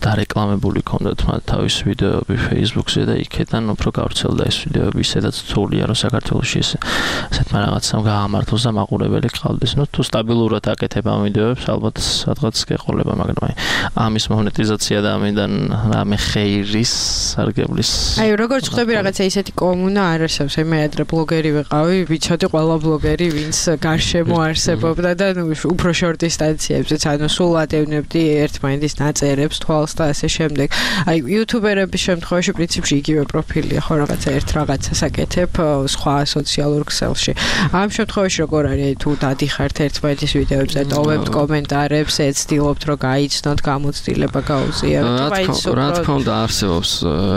დარეკლამებული ქონდათ მათ თავის ვიდეოები Facebook-ზე და იქიდან უფრო გავრცელდა ეს ვიდეოები, სადაც თვლია რომ საქართველოში ესეთმა რაღაცამ გაამართლოს და მაყურებელი ყავდეს. თუ სტაბილურად აკეთებ ამ ვიდეოებს, ალბათ სადღაც გეყოლება, მაგრამ ამის მონეტიზაცია და ამიდან რამე ხეირის სარგებლის. როგორც ხვდები რაღაცა ისეთი კომუნა არ არსებობს, მე ადრე ბლოგერი ვიყავი, ვიცოდი ყველა ბლოგერი ვინც გარშემო არსებობდა და უფრო შორტ დისტანციებზეც, ანუ სულ ატევნებდი ერთმანეთის ნაწერებს, თვალს და ასე შემდეგ. აი, იუთუბერების შემთხვევაში პრინციპში იგივე პროფილია, ხო რაღაცა ერთ რაღაცას აკეთებ სხვა სოციალურ ქსელში. ამ შემთხვევაში როგორ არის, აი თუ დადიხართ ერთმანეთის ვიდეოებზე, ტოვებთ კომენტარებს, ეცდილობთ რომ გაიცნოთ, გამოცდილება გაუზიაროთ, რა თქმა უნდა არსებობს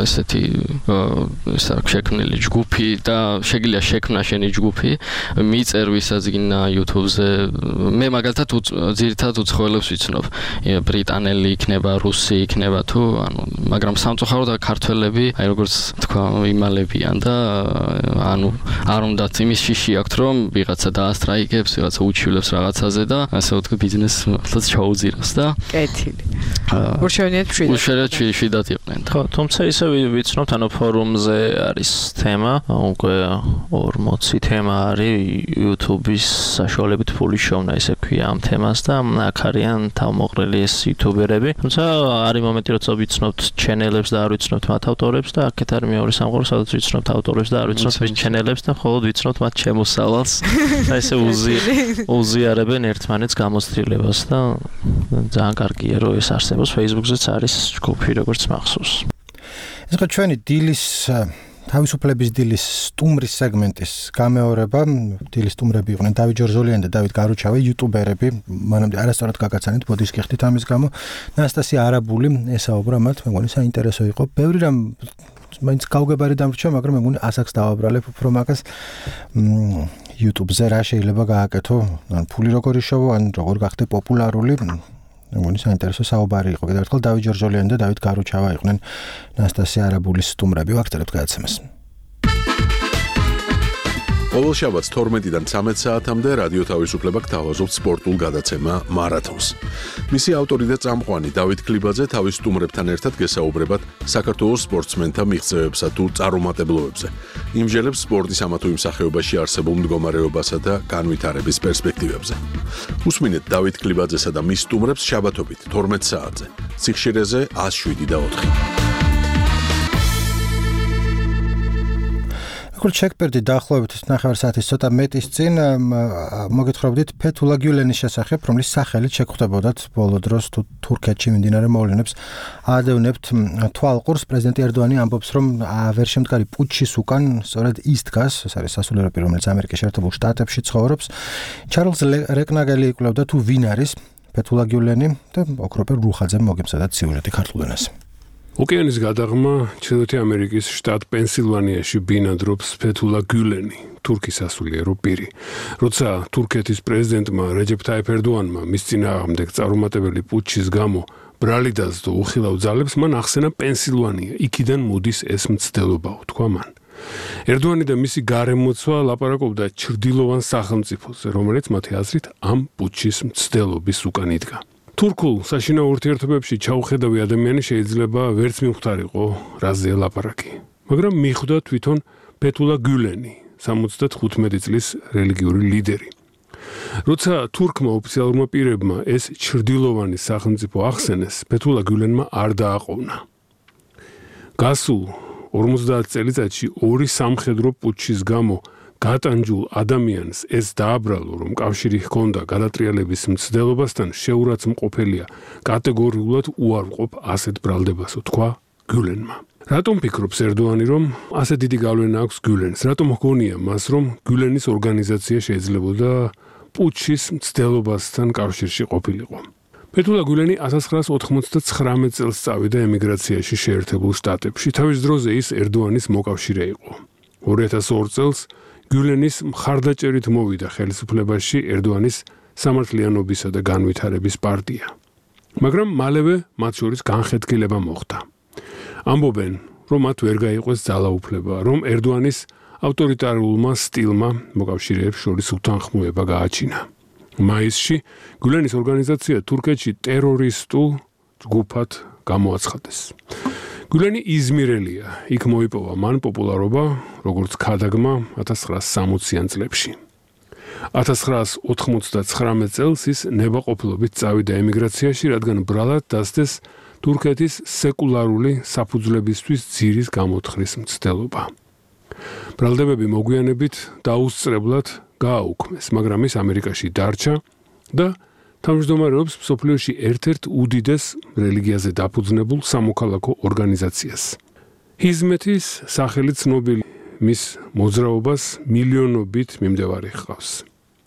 ესეთი შექმნილი ჯგუფი და შეგიძლია შექმნა შენი ჯგუფი, მიწერ ვისაც გინდა YouTube-ზე. მე მაგალითად ძირითადად უცხოელებს ვიცნობ. ბრიტანელი იქნება, რუსი იქნება თუ, მაგრამ სამწუხაროდ ქართველები, აი როგორც თქვა, იმალებიან და არ უნდათ იმის შიში აქვთ, რომ ვიღაცა დაასტრაიკებს, ვიღაცა უჩივლებს რაღაცაზე და ასე ვთქვი, ბიზნესს ჩაუძიროს და კეთილი. უშევნიათ შვიდად იყვნენ. ხო, თუმცა ისე ვიცნობთ, ფორუმზე არის თემა, უკვე 40 თემა არის YouTube-ის საშუალებით ფული შოვნა, ესე ქვია ამ თემას და აქ არიან თავმოყრილი ეს იუთუბერები. თუმცა არის მომენტი, როცა ვიცნობთ ჩენელებს და არ ვიცნობთ მათ ავტორებს და აქეთ არის მეორე სამყარო, სადაც ვიცნობთ ავტორებს და არ ვიცნობთ მის ჩენელებს და მხოლოდ ვიცნობთ მათ შემოსავალს და ესე უზიარებენ ერთმანეთს გამოცდილებას და ძალიან კარგია რომ ეს არსებობს. Facebook-ზეც არის ჯგუფი როგორც მახსოვს. ეს ხო ჩვენი დილის თავისუფლების დილის სტუმრის სეგმენტის გამეორება. დილის სტუმრები იყვნენ დავით ჯორჟოლიანი და დავით გარუჩავი, იუტუბერები. მანამდე არასწორად გაგაცანით, ბოდიშ გიხდით ამის გამო. ნასტასია არაბული ესაუბრა მათ, მე მგონი საინტერესო იყო. ბევრი რამ მაინც გავგებარი დამრჩა, მაგრამ მე მგონი ასაკს დავაბრალებ უფრო მაგას. YouTube-ზე რა შეიძლება გააკეთო, ან ფული როგორ იშოვო, ან როგორ გახდე პოპულარული. მე მგონი საინტერესო საუბარი იყო. კიდევ ერთხელ დავით ჯორჟოლიანი და დავით გარუჩავა იყვნენ ნასტასია არაბულის სტუმრები. ვაგრძელებთ გადაცემას. ყოველ შაბათს 12-დან 13 საათამდე რადიო თავისუფლება გთავაზობთ სპორტულ გადაცემა მარათონს. მისი ავტორი და წამყვანი დავით ქლიბაძე თავის სტუმრებთან ერთად გესაუბრებათ საქართველოს სპორტსმენთა მიღწევებსა თუ წარუმატებლობებზე. იმჯერებს სპორტის ამა თუ იმ სახეობაში არსებულ მდგომარეობასა და განვითარების პერსპექტივებზე. უსმინეთ დავით ქლიბაძესა და მის სტუმრებს შაბათობით 12 საათზე. სიხშირეზე 107.4. ჩეკპერდი დაახლოებით 9 საათის ცოტა მეტის წინ მოგეთხრობდით ფეთულა გიულენის შესახებ, რომლის სახელით შეგხვდებოდათ ბოლო დროს თუ თურქეთში მიმდინარე მოვლენებს აადევნებთ თვალყურს. პრეზიდენტი ერდოანი ამბობს, რომ ვერ შემდგარი პუტჩის უკან სწორედ ის დგას, ეს არის სასულიერო პირი, რომელიც ამერიკის შეერთებულ შტატებში ცხოვრობს. ჩარლზ რეკნაგელი იკვლევდა თუ ვინ არის ფეთულა გიულენი და ოქროპერ რუხაძემ მოგემზადათ სიუჟეტი ქართულ ენაზე. ოკეანის გადაღმა ჩრდილოეთი ამერიკის შტატ პენსილვანიაში ბინადრობს ფეთულა გიულენი, თურქის სასულიერო პირი. როცა თურქეთის პრეზიდენტმა რეჯეფ ტაიფ ერდოანმა მის წინააღმდეგ წარუმატებელი პუტჩის გამო ბრალი დასდო უხილავ ძალებს, მან ახსენა პენსილვანია, იქიდან მოდის ეს მცდელობაო, თქვა მან. ერდოანი და მისი გარემოცვა ლაპარაკობდა ჩრდილოვან სახელმწიფოზე, რომელიც მათი აზრით ამ პუტჩის მცდელობის უკან იდგა. თურქულ საშინაო ურთიერთობებში ჩაუხედავი ადამიანი შეიძლება ვერც მივხვდარიყო, რაზეა ლაპარაკი. მაგრამ მიხვდა თვითონ ფეთულა გიულენი, 75 წლის რელიგიური ლიდერი. როცა თურქმა ოფიციალურმა პირებმა ეს ჩრდილოვანი სახელმწიფო ახსენეს, ფეთულა გიულენმა არ დააყოვნა. გასულ 50 წელიწადში ორი სამხედრო პუტჩის გამო გატანჯულ ადამიანს ეს დააბრალო, რომ კავშირი ჰქონდა გადატრიალების მცდელობასთან, შეურაცხმყოფელია კატეგორიულად უარყოფ ასეთ ბრალდებასო, თქვა გიულენმა. რატომ ფიქრობს ერდოანი, რომ ასე დიდი გავლენა აქვს გიულენს? რატომ ჰგონია მას, რომ გიულენის ორგანიზაცია შეიძლებოდა პუტჩის მცდელობასთან კავშირში ყოფილიყო? ფეთულა გულენი 1999 წელს წავიდა ემიგრაციაში შეერთებულ შტატებში. თავის დროზე ის ერდოანის მოკავშირე იყო. 2002 წელს გულენის მხარდაჭერით მოვიდა ხელისუფლებაში ერდოანის სამართლიანობისა და განვითარების პარტია. მაგრამ მალევე მათ შორის განხეთქილება მოხდა. ამბობენ, რომ მათ ვერ გაიყვეს ძალაუფლება, რომ ერდოანის ავტორიტარულმა სტილმა მოკავშირეებს შორის უთანხმოება გააჩინა. მაისში გულენის ორგანიზაცია თურქეთში ტერორისტულ ჯგუფად გამოაცხადეს. გულენი იზმირელია, იქ მოიპოვა მან პოპულარობა, როგორც ქადაგმა 1960-იან წლებში. 1999 წელს ის ნებაყოფლობით წავიდა ემიგრაციაში, რადგან ბრალად დასდეს თურქეთის სეკულარული საფუძვლებისთვის ძირის გამოთხრის მცდელობა. ბრალდებები მოგვიანებით დაუსწრებლად გააუქმეს, მაგრამ ის ამერიკაში დარჩა და თავმჯდომარეობს მსოფლიოში ერთ-ერთ უდიდეს რელიგიაზე დაფუძნებულ სამოქალაქო ორგანიზაციას. ჰიზმეთის სახელი ცნობილი მის მოძრაობას მილიონობით მიმდევარი ჰყავს.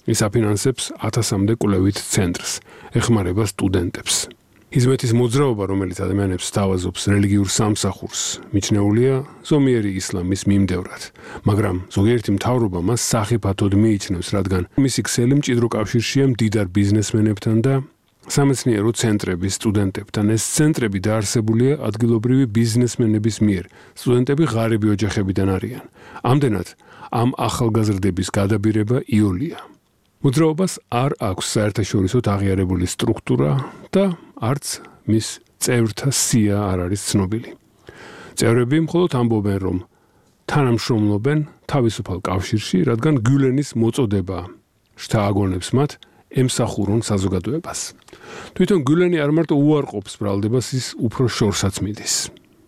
ის აფინანსებს 1000-მდე კვლევით ცენტრს, ეხმარება სტუდენტებს. ჰიზმეთის მოძრაობა, რომელიც ადამიანებს სთავაზობს რელიგიურ სამსახურს, მიჩნეულია ზომიერი ისლამის მიმდევრად, მაგრამ ზოგიერთი მთავრობა მას სახიფათოდ მიიჩნევს, რადგან მისი ქსელი მჭიდრო კავშირშია მდიდარ ბიზნესმენებთან და სამეცნიერო ცენტრების სტუდენტებთან. ეს ცენტრები დაარსებულია ადგილობრივი ბიზნესმენების მიერ. სტუდენტები ღარიბი ოჯახებიდან არიან. ამდენად ამ ახალგაზრდების გადაბირება იოლია. მოძრაობას არ აქვს საერთაშორისო აღიარებული სტრუქტურა და არც მის წევრთა სია არ არის ცნობილი. წევრები მხოლოდ ამბობენ, რომ თანამშრომლობენ თავისუფალ კავშირში, რადგან გულენის მოწოდება შთააგონებს მათ ემსახურონ საზოგადოებას. თვითონ გულენი არ მარტო უარყოფს ბრალდებას, ის უფრო შორსაც მიდის.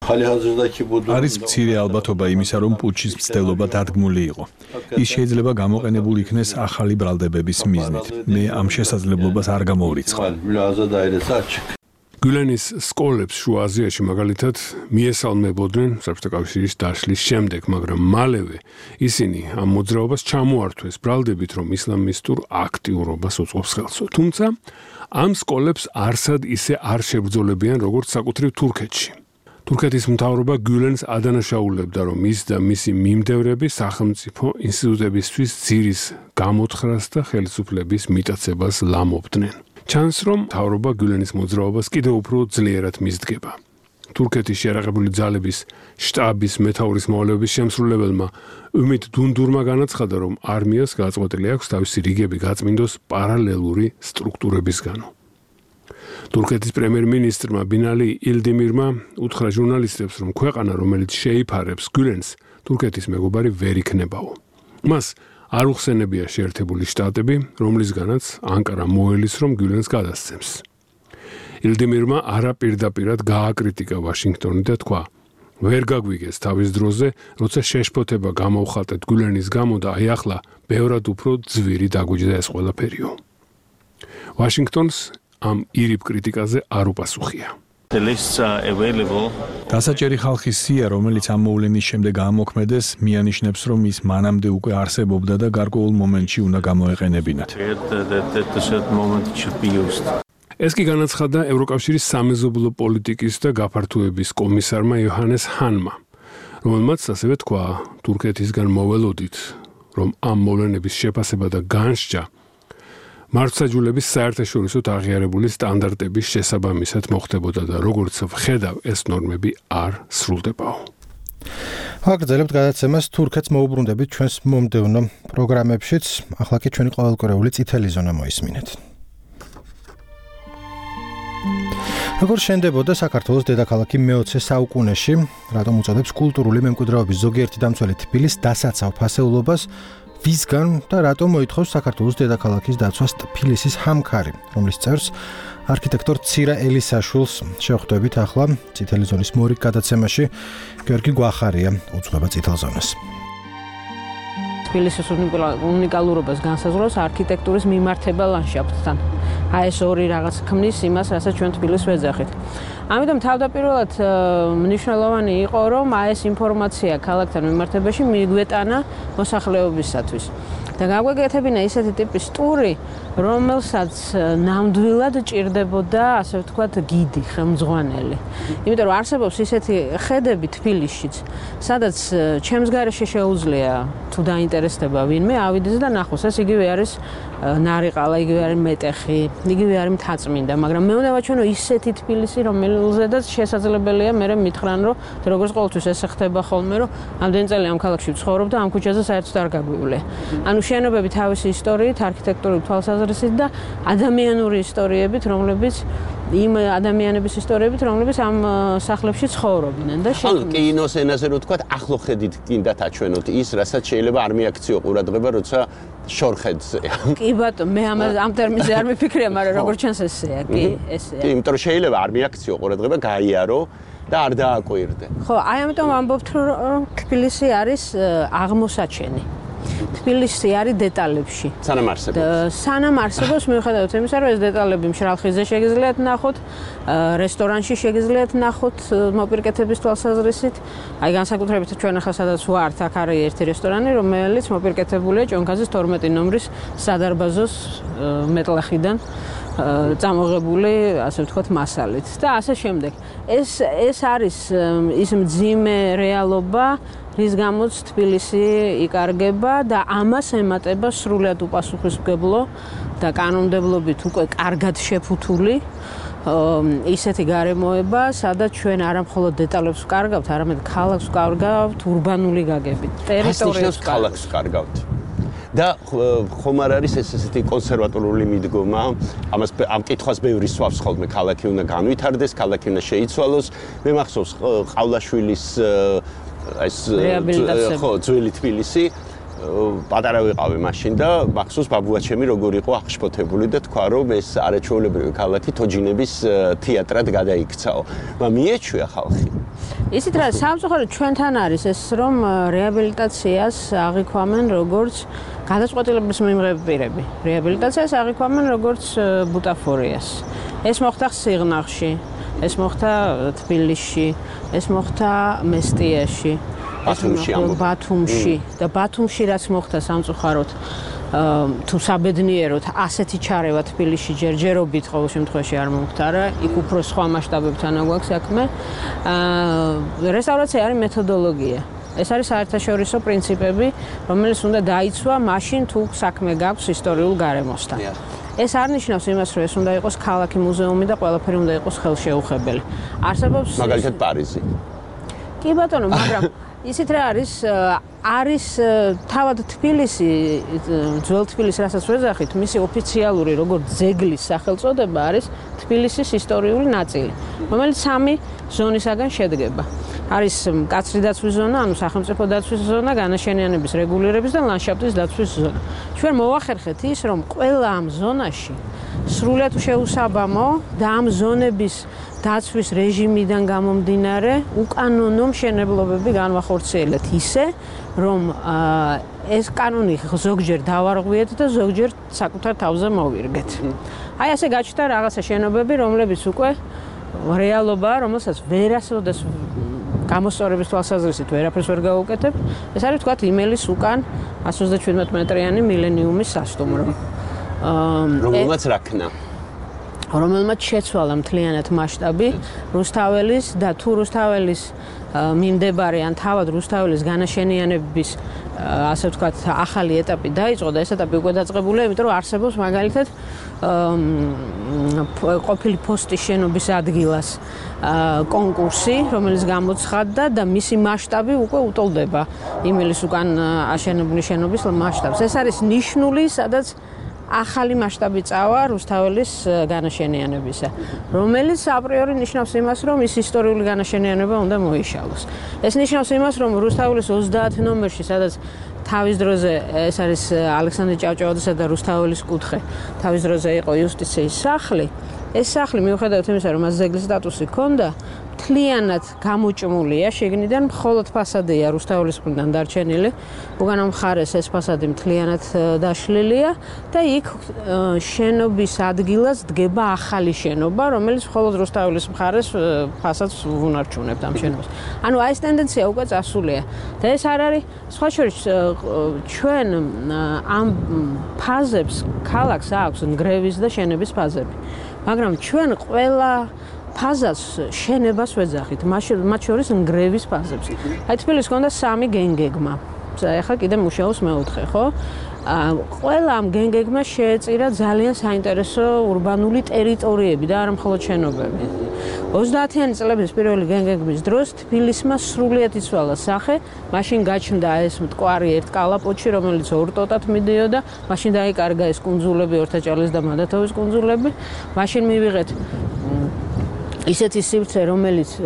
არის მცირე ალბათობა იმისა, რომ პუჩის მცდელობა დადგმული იყო. ის შეიძლება გამოყენებული იქნეს ახალი ბრალდებების მიზნით. მე ამ შესაძლებლობას არ გამოვრიცხავ. გულენის სკოლებს შუა აზიაში მაგალითად მიესალმებოდნენ საბჭოთა კავშირის დაშლის შემდეგ, მაგრამ მალევე ისინი ამ მოძრაობას ჩამოართვეს ბრალდებით, რომ ისლამისტურ აქტიურობას უწყობს ხელს. თუმცა ამ სკოლებს არსად ისე არ შებრძოლებიან, როგორც საკუთრივ თურქეთში. თურქეთის მთავრობა გულენს ადანაშაულებდა, რომ ის და მისი მიმდევრები სახელმწიფო ინსტიტუტებისთვის ძირის გამოთხრას და ხელისუფლების მიტაცებას ლამობდნენ. ჩანს, რომ მთავრობა გულენის მოძრაობას კიდევ უფრო ძლიერად მისდგება. თურქეთის შეიარაღებული ძალების შტაბის მეთაურის მოვალეობის შემსრულებელმა უმით დუნდურმა განაცხადა, რომ არმიას გაწყვეტილი აქვს თავისი რიგები გაწმინდოს პარალელური სტრუქტურებისგან. თურქეთის პრემიერ-მინისტრმა ბინალი ილდიმირმა უთხრა ჟურნალისტებს, რომ ქვეყანა, რომელიც შეიფარებს გულენს, თურქეთის მეგობარი ვერ იქნებაო. მას არ უხსენებია შეერთებული შტატები, რომლისგანაც ანკარა მოელის, რომ გულენს გადასცემს. ილდიმირმა არაპირდაპირად გააკრიტიკა ვაშინგტონი და თქვა, ვერ გაგვიგეს თავის დროზე, როცა შეშფოთება გამოვხატეთ გულენის გამო და აი ახლა ბევრად უფრო ძვირი დაგვიჯდა ეს ყველაფერიო. ვაშინგტონს ამ ირიბ კრიტიკაზე არ უპასუხია. დასაჭერი ხალხის სია, რომელიც ამ მოვლენის შემდეგ ამოქმედეს, მიანიშნებს, რომ ის მანამდე უკვე არსებობდა და გარკვეულ მომენტში უნდა გამოეყენებინათ. ეს კი განაცხადა ევროკავშირის სამეზობლო პოლიტიკის და გაფართოების კომისარმა იოჰანეს ჰანმა, რომელმაც ასევე თქვა, თურქეთისგან მოველოდით, რომ ამ მოვლენების შეფასება და განსჯა მართლმსაჯულების საერთაშორისო აღიარებული სტანდარტების შესაბამისად მოხდებოდა და როგორც ვხედავ, ეს ნორმები არ სრულდებაო. აგრძელებთ გადაცემას თურქეთს მოუბრუნდებით ჩვენს მომდევნო პროგრამებშიც. ახლა კი ჩვენი ყოველკვირეული წითელი ზონა მოისმინეთ. როგორ შენდებოდა საქართველოს დედაქალაქი მე-20 საუკუნეში, რატომ უწოდებს კულტურული მემკვიდრეობის ზოგიერთი დამცველი თბილის დასაცავ ფასეულობას, ვისგან და რატომ მოითხოვს საქართველოს დედაქალაქის დაცვას თბილისის ჰამქარი, რომლის წევრს არქიტექტორ ცირა ელისაშვილს შევხვდებით ახლა წითელი ზონის მორიგ გადაცემაში. გიორგი გვახარია უძღვება წითელ ზონას. თბილისის უნიკალურობას განსაზღვრავს არქიტექტურის მიმართება ლანდშაფტთან. აი ეს ორი რაღაც ქმნის იმას, რასაც ჩვენ თბილისს ვეძახით. ამიტომ თავდაპირველად მნიშვნელოვანი იყო, რომ აი ეს ინფორმაცია ქალაქთან მიმართებაში მიგვეტანა მოსახლეობისათვის. და გაგვეკეთებინა ისეთი ტიპის ტური, რომელსაც ნამდვილად ჭირდებოდა, ასე ვთქვათ, გიდი, ხელმძღვანელი. იმიტომ რომ არსებობს ისეთი ხედები თბილისშიც, სადაც ჩემს გარეშე შეუძლია თუ დაინტერესდება ვინმე ავიდეს და ნახოს, ეს იგივე არის ნარიყალა, იგივე არის მეტეხი, იგივე არის მთაწმინდა, მაგრამ მე უნდა ვაჩვენო ისეთი თბილისი, რომელზედაც შესაძლებელია მე მითხრან, რომ როგორც ყოველთვის ესე ხდება ხოლმე, რომ ამდენი წელი ამ ქალაქში ვცხოვრობ და ამ ქუჩაზე საერთოდ არ გაგვივლე. ანუ შენობები თავისი ისტორიით, არქიტექტურული თვალსაზრისით და ადამიანური ისტორიებით, რომლებიც იმ ადამიანების ისტორიებით, რომლებიც ამ სახლებში ცხოვრობდნენ და ანუ კინოს ენაზე რო თქვა, ახლო ხედით კიდათ აჩვენოთ ის, რასაც შეიძლება არ მიაქციო ყურადღება, როცა შორხედზეა. კი ბატონო, მე ამ ტერმინზე არ მიფიქრია, მაგრამ როგორც ჩანს ესეა, კი, ესეა. კი, იმიტომ რომ შეიძლება არ მიაქციო ყურადღება, გაიარო და არ დააკვირდე. ხო, აი ამიტომ ამბობთ, რომ თბილისი არის აღმოსაჩენი. თბილისი არის დეტალებში. სანამ არსებობს. სანამ არსებობს, მიუხედავად იმისა, რომ ეს დეტალები მშრალ ხიზე შეგიძლიათ ნახოთ, რესტორანში შეგიძლიათ ნახოთ მოპირკეთების თვალსაზრისით. აი განსაკუთრებით ჩვენ ახლა სადაც ვართ, აქ არის ერთი რესტორანი, რომელიც მოპირკეთებულია ჭონქაძის 12 ნომრის სადარბაზოს მეტლახიდან წამოღებული, ასე ვთქვათ, მასალით და ასე შემდეგ. ეს არის ის მძიმე რეალობა, რის გამოც თბილისი იკარგება და ამას ემატება სრულად უპასუხისმგებლო და კანონმდებლობით უკვე კარგად შეფუთული ისეთი გარემოება, სადაც ჩვენ არა მხოლოდ დეტალებს ვკარგავთ, არამედ ქალაქს ვკარგავთ ურბანული გაგებით, ტერიტორიას ქალაქს ვკარგავთ. და ხომ არ არის ესეთი კონსერვატორული მიდგომა, ამ კითხვას ბევრი სვავს ხოლმე, ქალაქი უნდა განვითარდეს, ქალაქი უნდა შეიცვალოს. მე მახსოვს ყავლაშვილის ეს ხო ძველი თბილისი პატარა ვიყავი მაშინ და მახსოვს ბაბუაჩემი როგორ იყო აღშფოთებული და თქვა რომ ეს არაჩვეულებრივი ქალაქი თოჯინების თეატრად გადაიქცაო. მაგრამ მიეჩვია ხალხი. ისიც რა სამწუხაროდ ჩვენთან არის ეს რომ რეაბილიტაციას აღიქვამენ როგორც გადაწყვეტილების მიმღები პირები. რეაბილიტაციას აღიქვამენ როგორც ბუტაფორიას. ეს მოხდა სიღნაღში, ეს მოხდა თბილისში, ეს მოხდა მესტიაში, ბათუმში და ბათუმში რაც მოხდა სამწუხაროდ თუ საბედნიეროდ ასეთი ჩარევა თბილისში ჯერჯერობით ყოველ შემთხვევაში არ მომხდარა, იქ უფრო სხვა მასშტაბებთან აგვაქვს საქმე. რესტავრაცია არის მეთოდოლოგია. ეს არის საერთაშორისო პრინციპები, რომელიც უნდა დაიცვა მაშინ თუ საქმე გაქვს ისტორიულ გარემოსთან. ეს არ ნიშნავს იმას, რომ ეს უნდა იყოს ქალაქი მუზეუმი და ყველაფერი უნდა იყოს ხელშეუხებელი. არსებობს მაგალითად პარიზი. კი ბატონო, მაგრამ ისიც რა არის თავად თბილისი, ძველ თბილისი, რასაც ვეძახით, მისი ოფიციალური როგორც ძეგლის სახელწოდება არის თბილისის ისტორიული ნაწილი, რომელიც 3 ზონისაგან შედგება. არის მკაცრი დაცვის ზონა, ანუ სახელმწიფო დაცვის ზონა, განაშენიანების რეგულირების და ლანდშაფტის დაცვის ზონა. ჩვენ მოვახერხეთ ის, რომ ყველა ამ ზონაში სრულად შეუსაბამო და ამ ზონების დაცვის რეჟიმიდან გამომდინარე უკანონო მშენებლობები განვახორციელეთ ისე, რომ ეს კანონი ზოგჯერ დავარღვიეთ და ზოგჯერ საკუთარ თავზე მოვირგეთ. აი ასე გაჩნდა რაღაცა შენობები, რომლებიც უკვე რეალობაა, რომელსაც ვერასოდეს გამოსწორების თვალსაზრისით ვერაფერს ვერ გავუკეთებ. ეს არის თქვათ იმელის უკან 137 მეტრიანი მილენიუმის სასტუმრო. რომელმაც რაქნა რომელმაც შეცვალა მთლიანად მასშტაბი რუსთაველის და თუ რუსთაველის მიმდებარე ან თავად რუსთაველის განაშენიანების ასე ვთქვათ ახალი ეტაპი დაიწყო და ეს ეტაპი უკვე დაწყებულია, იმიტომ რომ არსებობს მაგალითად ყოფილი ფოსტის შენობის ადგილას კონკურსი, რომელიც გამოცხადდა და მისი მასშტაბი უკვე უტოლდება იმელის უკან აშენებული შენობის მასშტაბს. ეს არის ნიშნული, სადაც ახალი მასშტაბი წავა რუსთაველის განაშენიანებისა, რომელიც აპრიორი ნიშნავს იმას, რომ ის ისტორიული განაშენიანება უნდა მოიშალოს. ეს ნიშნავს იმას, რომ რუსთაველის 30 ნომერში, სადაც თავის დროზე ეს არის ალექსანდრე ჭავჭავაძისა და რუსთაველის კუთხე, თავის დროზე იყო იუსტიციის სახლი, ეს სახლი მიუხედავად იმისა, რომ მას ძეგლის სტატუსი ჰქონდა, მთლიანად გამოჭმულია, შიგნიდან მხოლოდ ფასადია რუსთაველის მხრიდან დარჩენილი. უკანა მხარეს ეს ფასადი მთლიანად დაშლილია და იქ შენობის ადგილას დგება ახალი შენობა, რომელიც მხოლოდ რუსთაველის მხარეს ფასადს უნარჩუნებთ ამ შენობას. ანუ აი ეს ტენდენცია უკვე წასულია და ეს არ არის სხვა შორის ჩვენ ამ ფაზებს ქალაქს აქვს ნგრევის და შენების ფაზები. მაგრამ ჩვენ ყველა ფაზას შენებას ვეძახით, მათ შორის ნგრევის ფაზებს. აი თბილისს ჰქონდა 3 გენგეგმა. ეხლა კიდე მუშაობს მეოთხე, ხო? ყველა ამ გენგეგმა შეეწირა ძალიან საინტერესო урბანული ტერიტორიები და არა მხოლოდ შენობები. 30-იანი წლების პირველი გენგეგმის დროს თბილისმა სრულიად იცვალა სახე, მაშინ გაჩნდა ეს მტკვარი ერთ კალაპოტში, რომელიც ორ ტოტად მიდიოდა, მაშინ დაიკარგა ეს კუნძულები, ორთაჭალის და მადათოვის კუნძულები, მაშინ მივიღეთ ისეთი სივრცე,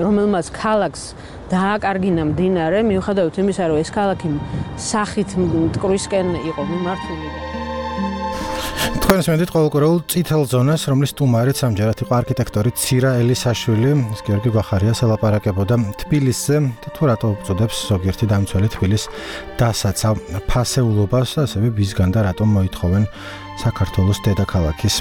რომელმაც ქალაქს დააკარგინა მდინარე, მიუხედავად იმისა, რომ ეს ქალაქი სახით მტკვრისკენ იყო მიმართული. თქვენს მენდით ყოველკვირეულ წითელ ზონას, რომლის სტუმარიც ამჯერად იყო არქიტექტორი ცირა ელისაშვილი, გიორგი გვახარიას ელაპარაკებოდა თბილისზე და თუ რატო უწოდებს ზოგიერთი დამცველი თბილის დასაცავ ფასეულობას, ასევე ვისგან და რატომ მოითხოვენ საქართველოს დედაქალაქის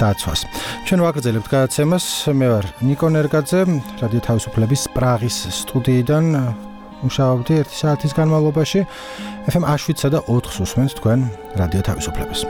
დაცვას. ჩვენ ვაგრძელებთ გადაცემას. მე ვარ ნიკო ნერგაძე, რადიო თავისუფლების პრაღის სტუდიიდან მუშაობდი 1 საათის განმავლობაში. FM 7-სა და 4-ს უსმენთ თქვენ რადიო თავისუფლებას.